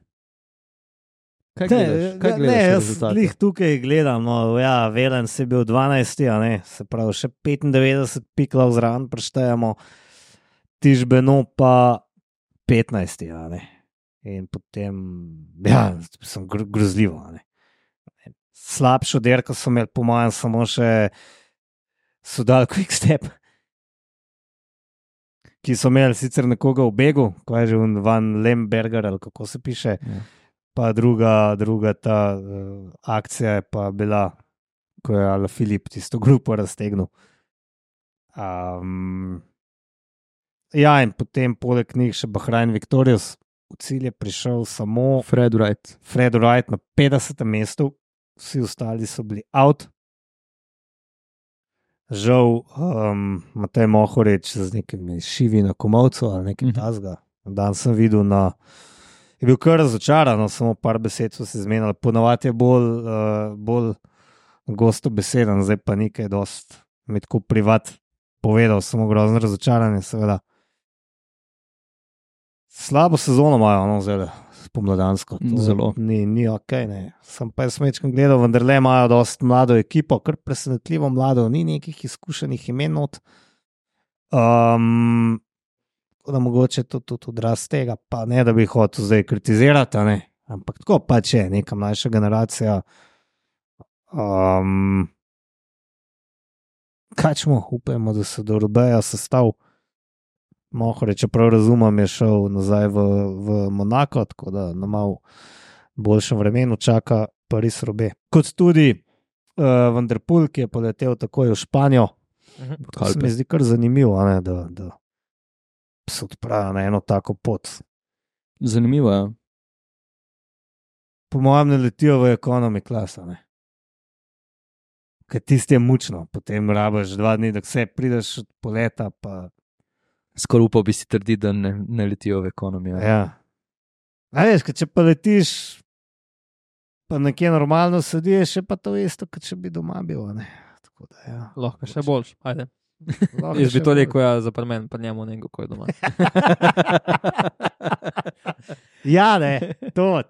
Kaj gledaš jaz rezultate? glih tukaj gledam, no, ja, Velen se je bil 12, a ne, se pravi še 95 piklov zraven preštejemo, Tišbeno pa 15, a ne. In potem, ja, sem grozljivo, a ne. Slabšo derko so imeli po mojem samo še Sodal Quickstep, ki so imeli sicer nekoga v begu, ko je že Van Lemberger ali kako se piše. Ja. Pa druga ta akcija je pa bila, ko je Alaphilippe tisto grupo raztegnil. Ja, in potem poleg njih še Bahrain Victorious. V cilj je prišel samo Fred Wright. Fred Wright na 50. mestu, vsi ostali so bili out. Žal, Matej Mohorič z nekimi šivi na komovcu ali nekaj tasga. Dan sem videl je bil kar razočaran, samo par besed so se zmenili. Ponavadi je bolj gosto beseden, zdaj pa nekaj dost med ko privat povedal, samo grozno razočaranje, seveda. Slabo sezono imajo, no, zdaj pomladansko. Zelo. Ni ok, ne. Sem pa jaz mečkam gledal, vendar le imajo dost mlado ekipo, kar presenetljivo mlado, ni nekih izkušenih imen not. Da mogoče to tudi odraz tega, pa ne, da bi jih hotel zdaj kritizirati, ne? Ampak tako pač je, neka mlajša generacija. Kaj čemo, upajmo, da se do Rubeja sestav. Mohore, čeprav razumem, je šel nazaj v Monako, tako da na malo boljšem vremenu čaka Paris Roubaix. Kot tudi Van der Poel, ki je poletel takoj v Španijo. To se mi zdi kar zanimivo, ne, da se odpravlja na eno tako pot, Zanimivo je. Po mojem ne letijo v ekonomi klasa, ne. Ker tisti je mučno, potem rabaš 2 dni, da se prideš od poleta, pa Skoraj upal bi si trditi, da ne letijo v ekonomijo. ja. A veš, če pa letiš, pa nekje normalno sediš, je pa to isto, kot če bi doma bil, ne. Tako da, ja. Lahko še boljš. Ajde. Lahko Jaz bi še to bolj. rekel, ja, za premen, pa njemu nekdo, ko je doma. Ja, ne,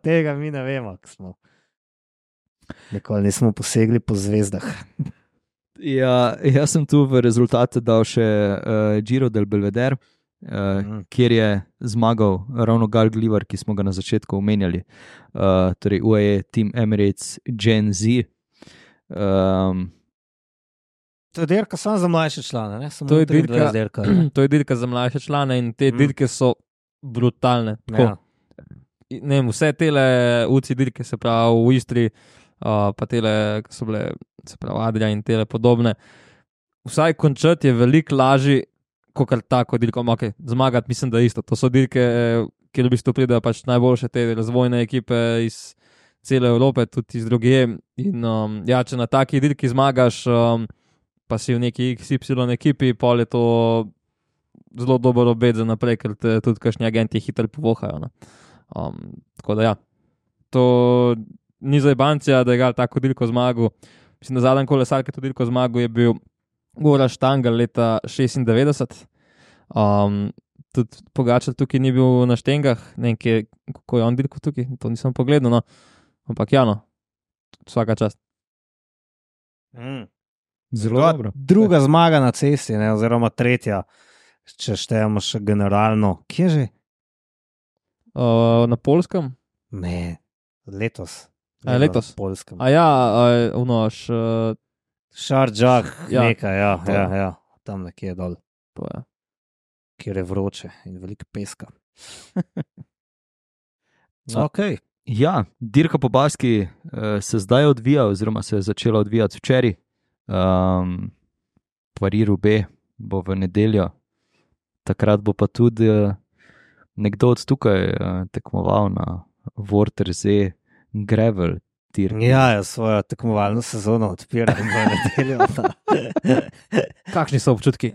tega mi ne vemo, ko smo. Nikoli nismo posegli po zvezdah. Ja, jaz sem tu v rezultate dal še Giro del Belvedere, kjer je zmagal ravno Gal Glivar, ki smo ga na začetku omenjali. Torej UAE Team Emirates Gen Z. To je dirka samo za mlajše člane, ne? Samo To je 23 dirka. Ne? To je dirka za mlajše člane in te dirke so brutalne. Tako, Ja. ne vem, vse tele UCI dirke, se pravi v Istri, pa tele, ki so bile, se pravi Adria in tele podobne. Vsaj končati je veliko lažji, kot tako dirko. Okay, zmagati mislim, da je isto. To so dirke, kjer v bistvu pridejo pač najboljše te razvojne ekipe iz cele Evrope, tudi iz drugje. In ja, če na taki dirki zmagaš, pa si v neki XY ekipi, pol je to zelo dober obet za naprej, ker te tudi kakšni agenti hitro povohajo. No. Tako da ja, to ni za Ibancija, da je gal tako dirko zmagal. Mislim, da zadnji kolesar, ki je to dirko zmagal, je bil Goran Štangl leta 96. Tudi Pogačar tukaj ni bil na štengah, ne vem, kako je on dirko tukaj, to nisem pogledal, no. Ampak ja, no, vsaka čast. Zelo dobro. Druga zmaga na cesti, ne, oziroma tretja, če štejemo še generalno. Kje že? Na Poljskem? Ne, letos. Letos? Na Poljskem. A ja, unoš, Šardžah, Ja. nekaj, ja, To. ja, tam nekje dol, to je. kjer je vroče in veliko peska. No. Ok. Ja, dirka po Baski se zdaj odvija, oziroma se je začela odvijati včeraj. Paris-Roubaix bo v nedeljo, takrat bo pa tudi nekdo od tukaj tekmoval na Vortersee Gravel dirki. Ja, svojo tekmovalno sezono odpiram v nedeljo. Kakšni so občutki?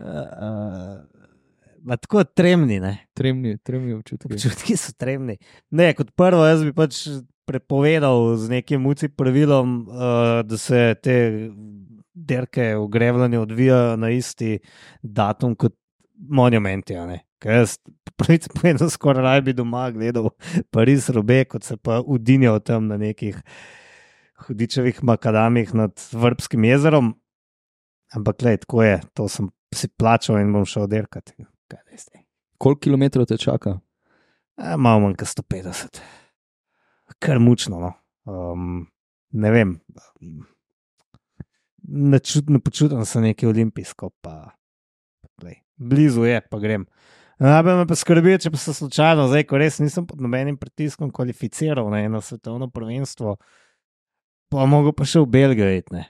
Ma tako tremni, ne. Tremni občutki. Občutki so tremni. Ne, kot prvo, jaz bi pač prepovedal z nekim UCI pravilom, da se te dirke v Grevljanju odvijajo na isti datum kot monumenti. Ker jaz pravice povedal, skoraj raj bi doma gledal Paris-Roubaix, kot se pa udinjal tam na nekih hudičevih makadamih nad Vrbskim jezerom. Ampak glej, tako je, to sem si plačal in bom šel dirkati. Kaj veste? Koliko kilometrov te čaka? Malo manj kot 150. Kar mučno, no. Ne vem. Ne počutim se nekaj olimpijsko, pa glej, blizu je, pa grem. Najbolj me pa skrbi, če pa se slučajno, zdaj, ko res nisem pod nobenim pritiskom kvalificiral na eno svetovno prvenstvo, pa mogo pa še v Belgijo iti, ne.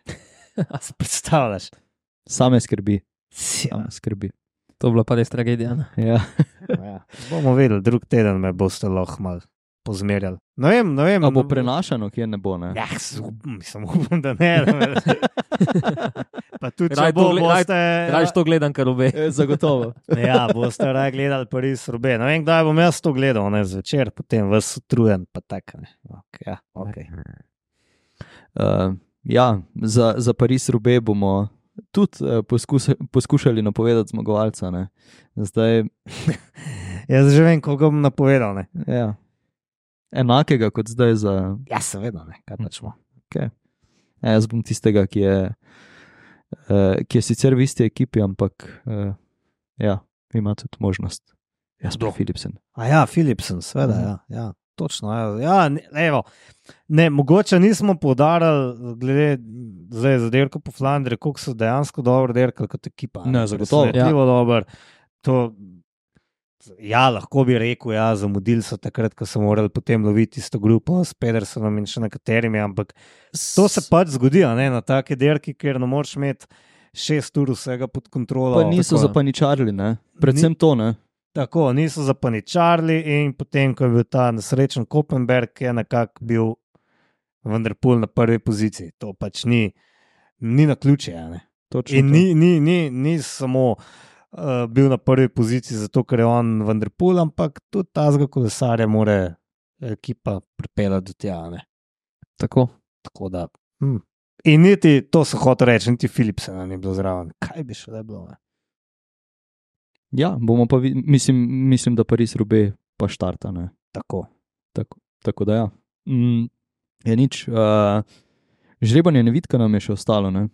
Se predstavljaš? Same skrbi. Ja. Skrbi. To je bila pa res tragedija. Ne? Ja. Ja. Bomo videli, drug teden me boste lahko malo pozmerjali. Ne vem. A bo prenašano, kje ne bo, ne? Ja, mislim, upam, da ne. Pa tudi, če Raj bo, to boste... Rajš to gledam, kar obe. Zagotovo. Ja, boste raje gledali Paris-Roubaix. Ne vem, kdaj bom jaz to gledal, ne, zvečer, potem vas utrujen, pa tako, ne. Okay, ja, okay. Ja, za Paris-Roubaix bomo tudi poskušali napovedati zmagovalca, ne. Zdaj... Jaz že vem, koga bom napovedal, ne. Ja. Enakega kot zdaj za... Ja, seveda, ne, kaj pačmo. Okay. Ja, jaz bom tistega, ki je sicer v isti ekipi, ampak ja, ima tudi možnost. Jaz pa Philipsen. A ja, Philipsen, seveda, ja, točno. Ja, evo, ne, mogoče nismo poudarili, glede zdaj za dirko po Flandriji, koliko so dejansko dobro dirkali kot ekipa. Ne, zagotovo. Presenetljivo dobro. To... Ja, lahko bi rekel, ja, zamudili so takrat, ko so morali potem loviti isto grupo s Pedersenom in še nekaterimi, ampak to se pač zgodi, ne, na take dirki, ker ne moreš imeti 6 ur vsega pod kontrolo. Pa niso zapaničarili, ne? Predvsem to, ne? Tako, niso zapaničarili in potem, ko je bil ta nesrečen Kopenberg, je nekako bil Van der Poel na prvi poziciji. To pač ni na ključe. Točno In to. ni samo bil na prvi poziciji zato, ker je on Van der Poel, ampak tudi tazga kolesarja more ekipa pripeljati do tja. Tako. Tako da. In niti, to so hotel reči, niti Philipsen ni bilo zraven. Kaj bi še le bilo? Ja, bomo pa, mislim, da Paris-Roubaix pa štarta. Ne? Tako da ja. Je nič. Žrebanje nevidka nam je še ostalo. Ne?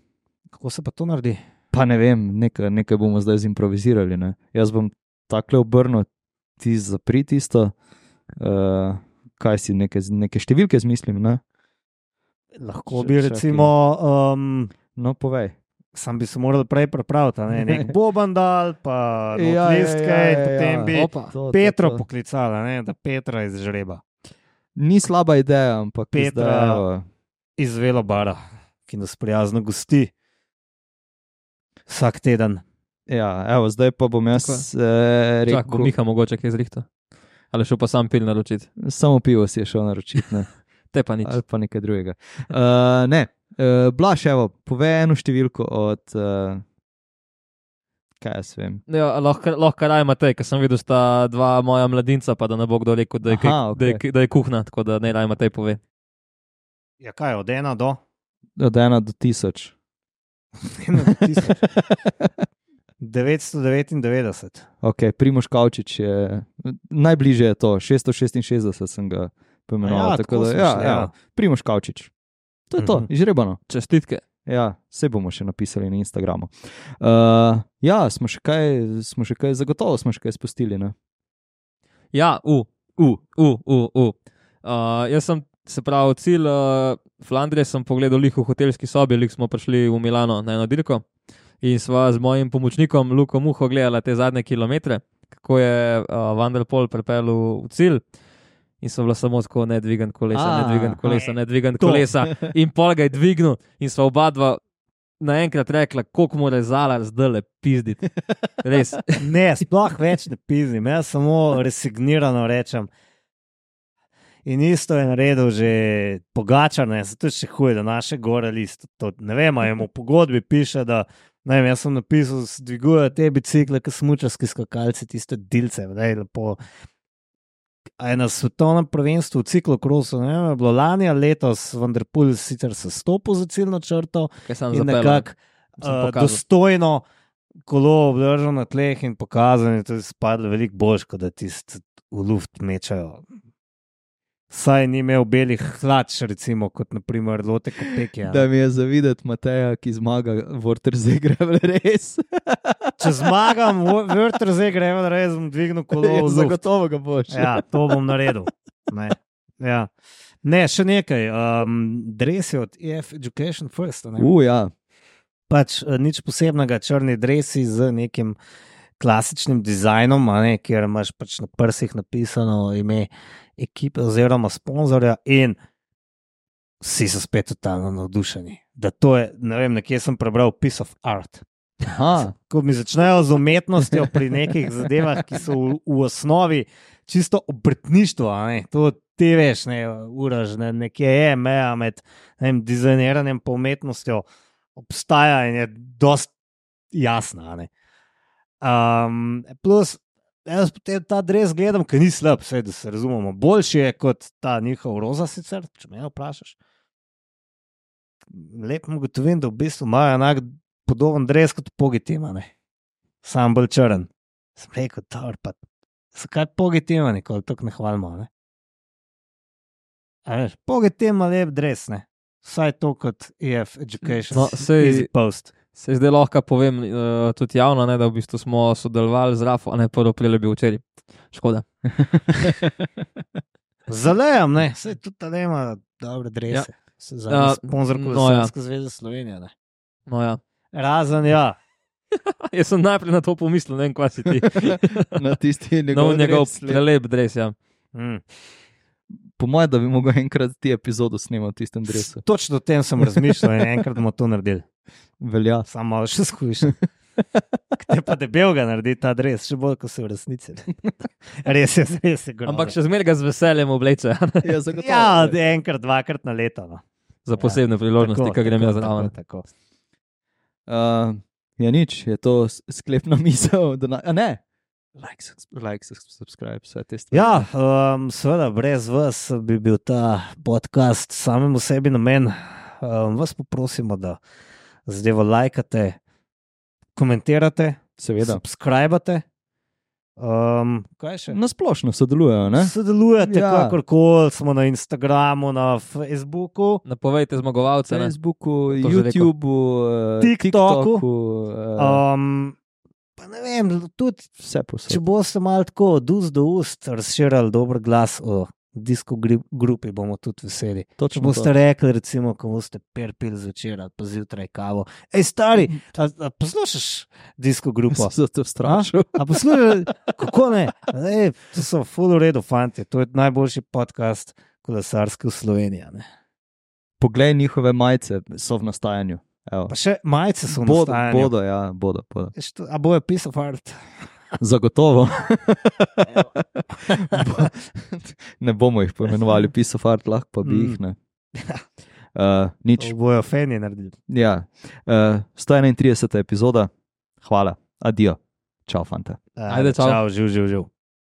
Kako se pa to naredi? Pa ne vem, nekaj bomo zdaj zimprovizirali. Ne? Jaz bom takle obrnil, ti zapri tisto, kaj si, neke številke zmislim. Ne? Lahko bi recimo... No, povej. Sam bi se moral prej pripraviti, nek Bobandal, pa listke in potem bi Petro poklicala, da Petra izžreba. Ni slaba ideja, ampak Petra iz Velobara, ki nas prijazno gosti vsak teden. Ja, evo, zdaj pa bom jaz rekel... Čak, bo Miha mogoče kaj zrihta. Ali šel pa sam pil naročiti? Samo pivo si je šel naročiti, ne. Te pa nič. Ali pa nekaj drugega. Ne, Blaž, evo, povej eno številko od... Kaj jaz vem? Ja, lahko raj Matej, ker sem videl, sta dva moja mladinca, pa da ne bo kdo rekel, da je kuhna, tako da ne raj Matej pove. Ja, kaj, od 1 do? Od 1 do 1000. 1 do 1000. 999. Ok, Primož Kavčič je... Najbližje je to, 666 sem ga pomenoval. Ja, tako da, ja. Primož Kavčič. To je to, izžrebano. Čestitke. Ja, vse bomo še napisali na Instagramu. Ja, smo še kaj, zagotovo smo še kaj spustili, ne? Ja, jaz sem, se pravi, cilj Flandrije sem pogledal lih v hotelski sobi, lih smo prišli v Milano na eno dirko in sva z mojim pomočnikom Luko Muho gledala te zadnje kilometre, kako je Van der Poel pripeljal v cilj. In so bila samo tako nedvigan kolesa. In pol ga je dvignil in so oba dva naenkrat rekla, koliko mora Zalar zdajle pizditi. Res. Ne, sploh več ne pizdim, jaz samo resignirano rečem. In isto je naredil že Pogačar, zato je še huje, da naše gore list. Ne vem, ali mu v pogodbi piše, da ne vem, jaz sem napisal, dvigujejo te bicikle, ki smučarski skakalci, tiste dilce, lepo. A je na svetovnem prvenstvu v ciklokrosu, ne vem, je bilo lani ali letos, Van der Poel sicer se stopil za ciljno črto in nekako dostojno kolo obdržal na tleh in pokazal, in to je spadlo veliko boljš, kot da tisti v luft mečajo. Saj ni imel belih hlač, recimo, kot naprimer Lotte Kopecky. Da mi je zavideti Mateja, ki zmaga Vortersee Gravel Race. Če zmagam Vortersee Gravel Race, bom dvignil kolo v luft. Zagotovo ga boš. Ja, to bom naredil. Ja. Ne, še nekaj. Dresi od EF Education First. Ja. Pač nič posebnega, črni dresi z nekim klasičnim dizajnom, kjer imaš pač na prsih napisano ime ekipe oziroma sponzorja in vsi so spet totalno navdušeni. Da to je, ne vem, nekje sem prebral piece of art. Ko mi začnejo z umetnostjo pri nekih zadevah, ki so v osnovi čisto obrtništvo, to ti veš, Uraž, nekje je meja med dizajniranjem pa umetnostjo, obstaja in je dost jasna. Plus, jaz potem ta dres gledam, ker ni slab, vse, da se razumemo. Boljši je kot ta njihov roza sicer, če me vprašaš. Lepo ugotovim, da v bistvu imajo enak podoben dres kot Pogačar, sam bolj črn. Sem rekel, pa zakaj Pogačar nikoli tako ne hvalimo, Pogačar ima lep dres, vsaj to kot EF Education, Easy Post. Se zdaj lahko povem tudi javno, da v bistvu smo sodelovali z Rafo, prvo prilebil včeraj. Škoda. Zalejam, saj tudi ta nema dobre drese. Se za sponzor Kolesarske zveze Slovenije, No ja. Razen ja. Jaz sem najprej na to pomislil, ne vem, kva si ti. Na tisti njegov prelep dres, ja. Po mojem, da bi mogel enkrat ti epizodo snemati v tistem dresu. Točno o tem sem razmišljal in enkrat bomo to naredili. Velja. Samo malo še skušam. Te pa debelga narediti ta dres, še bolj, kot se v resnici. res je grozno. Ampak še zmeraj ga z veseljem obleče Ja, zagotovo. Ja, enkrat, dvakrat na leto. No. za posebne priložnosti, ki grem jaz zraven. Tako. Ja, nič, je to sklepna misel. A ne, like, subscribe, vse te stvari. Ja, seveda, brez vas bi bil ta podcast samemu sebi namen. Vas poprosimo, da zadevo lajkate, komentirate, Seveda. subskrbate. Kaj še? Na splošno sodelujejo, ne? Sodelujete, Ja. kakorkoli, smo na Instagramu, na Facebooku. Napovejte zmagovalce. Ne? Facebooku, To že rekel. YouTubeu, TikToku. TikToku, Pa ne vem, tudi vse posod. če boste malo tako od ust do ust razširjali dober glas o disko grupi, bomo tudi veseli. Če Točno boste to. rekli, recimo, ko boste perpil zvečer ali pa zjutraj kavo. Ej, stari, a poslušaš disko grupo? Sem se strašil. A poslušaj, kako ne? Ej, to so full v redu, fanti. To je najboljši podcast kolesarski v Sloveniji. Ne? Poglej njihove majice, so v nastajanju. Evo. Pa še majice so v Bodo, nastajanju. bodo, ja, bodo. A bojo piece of art? Zagotovo. Ne bomo jih poimenovali piece of art, lahko pa bi jih, ne. Nič. To bojo fani naredili. Ja. 131. epizoda. Hvala. Adijo. Čau, fanta. Ajde, čau. Čau, živ.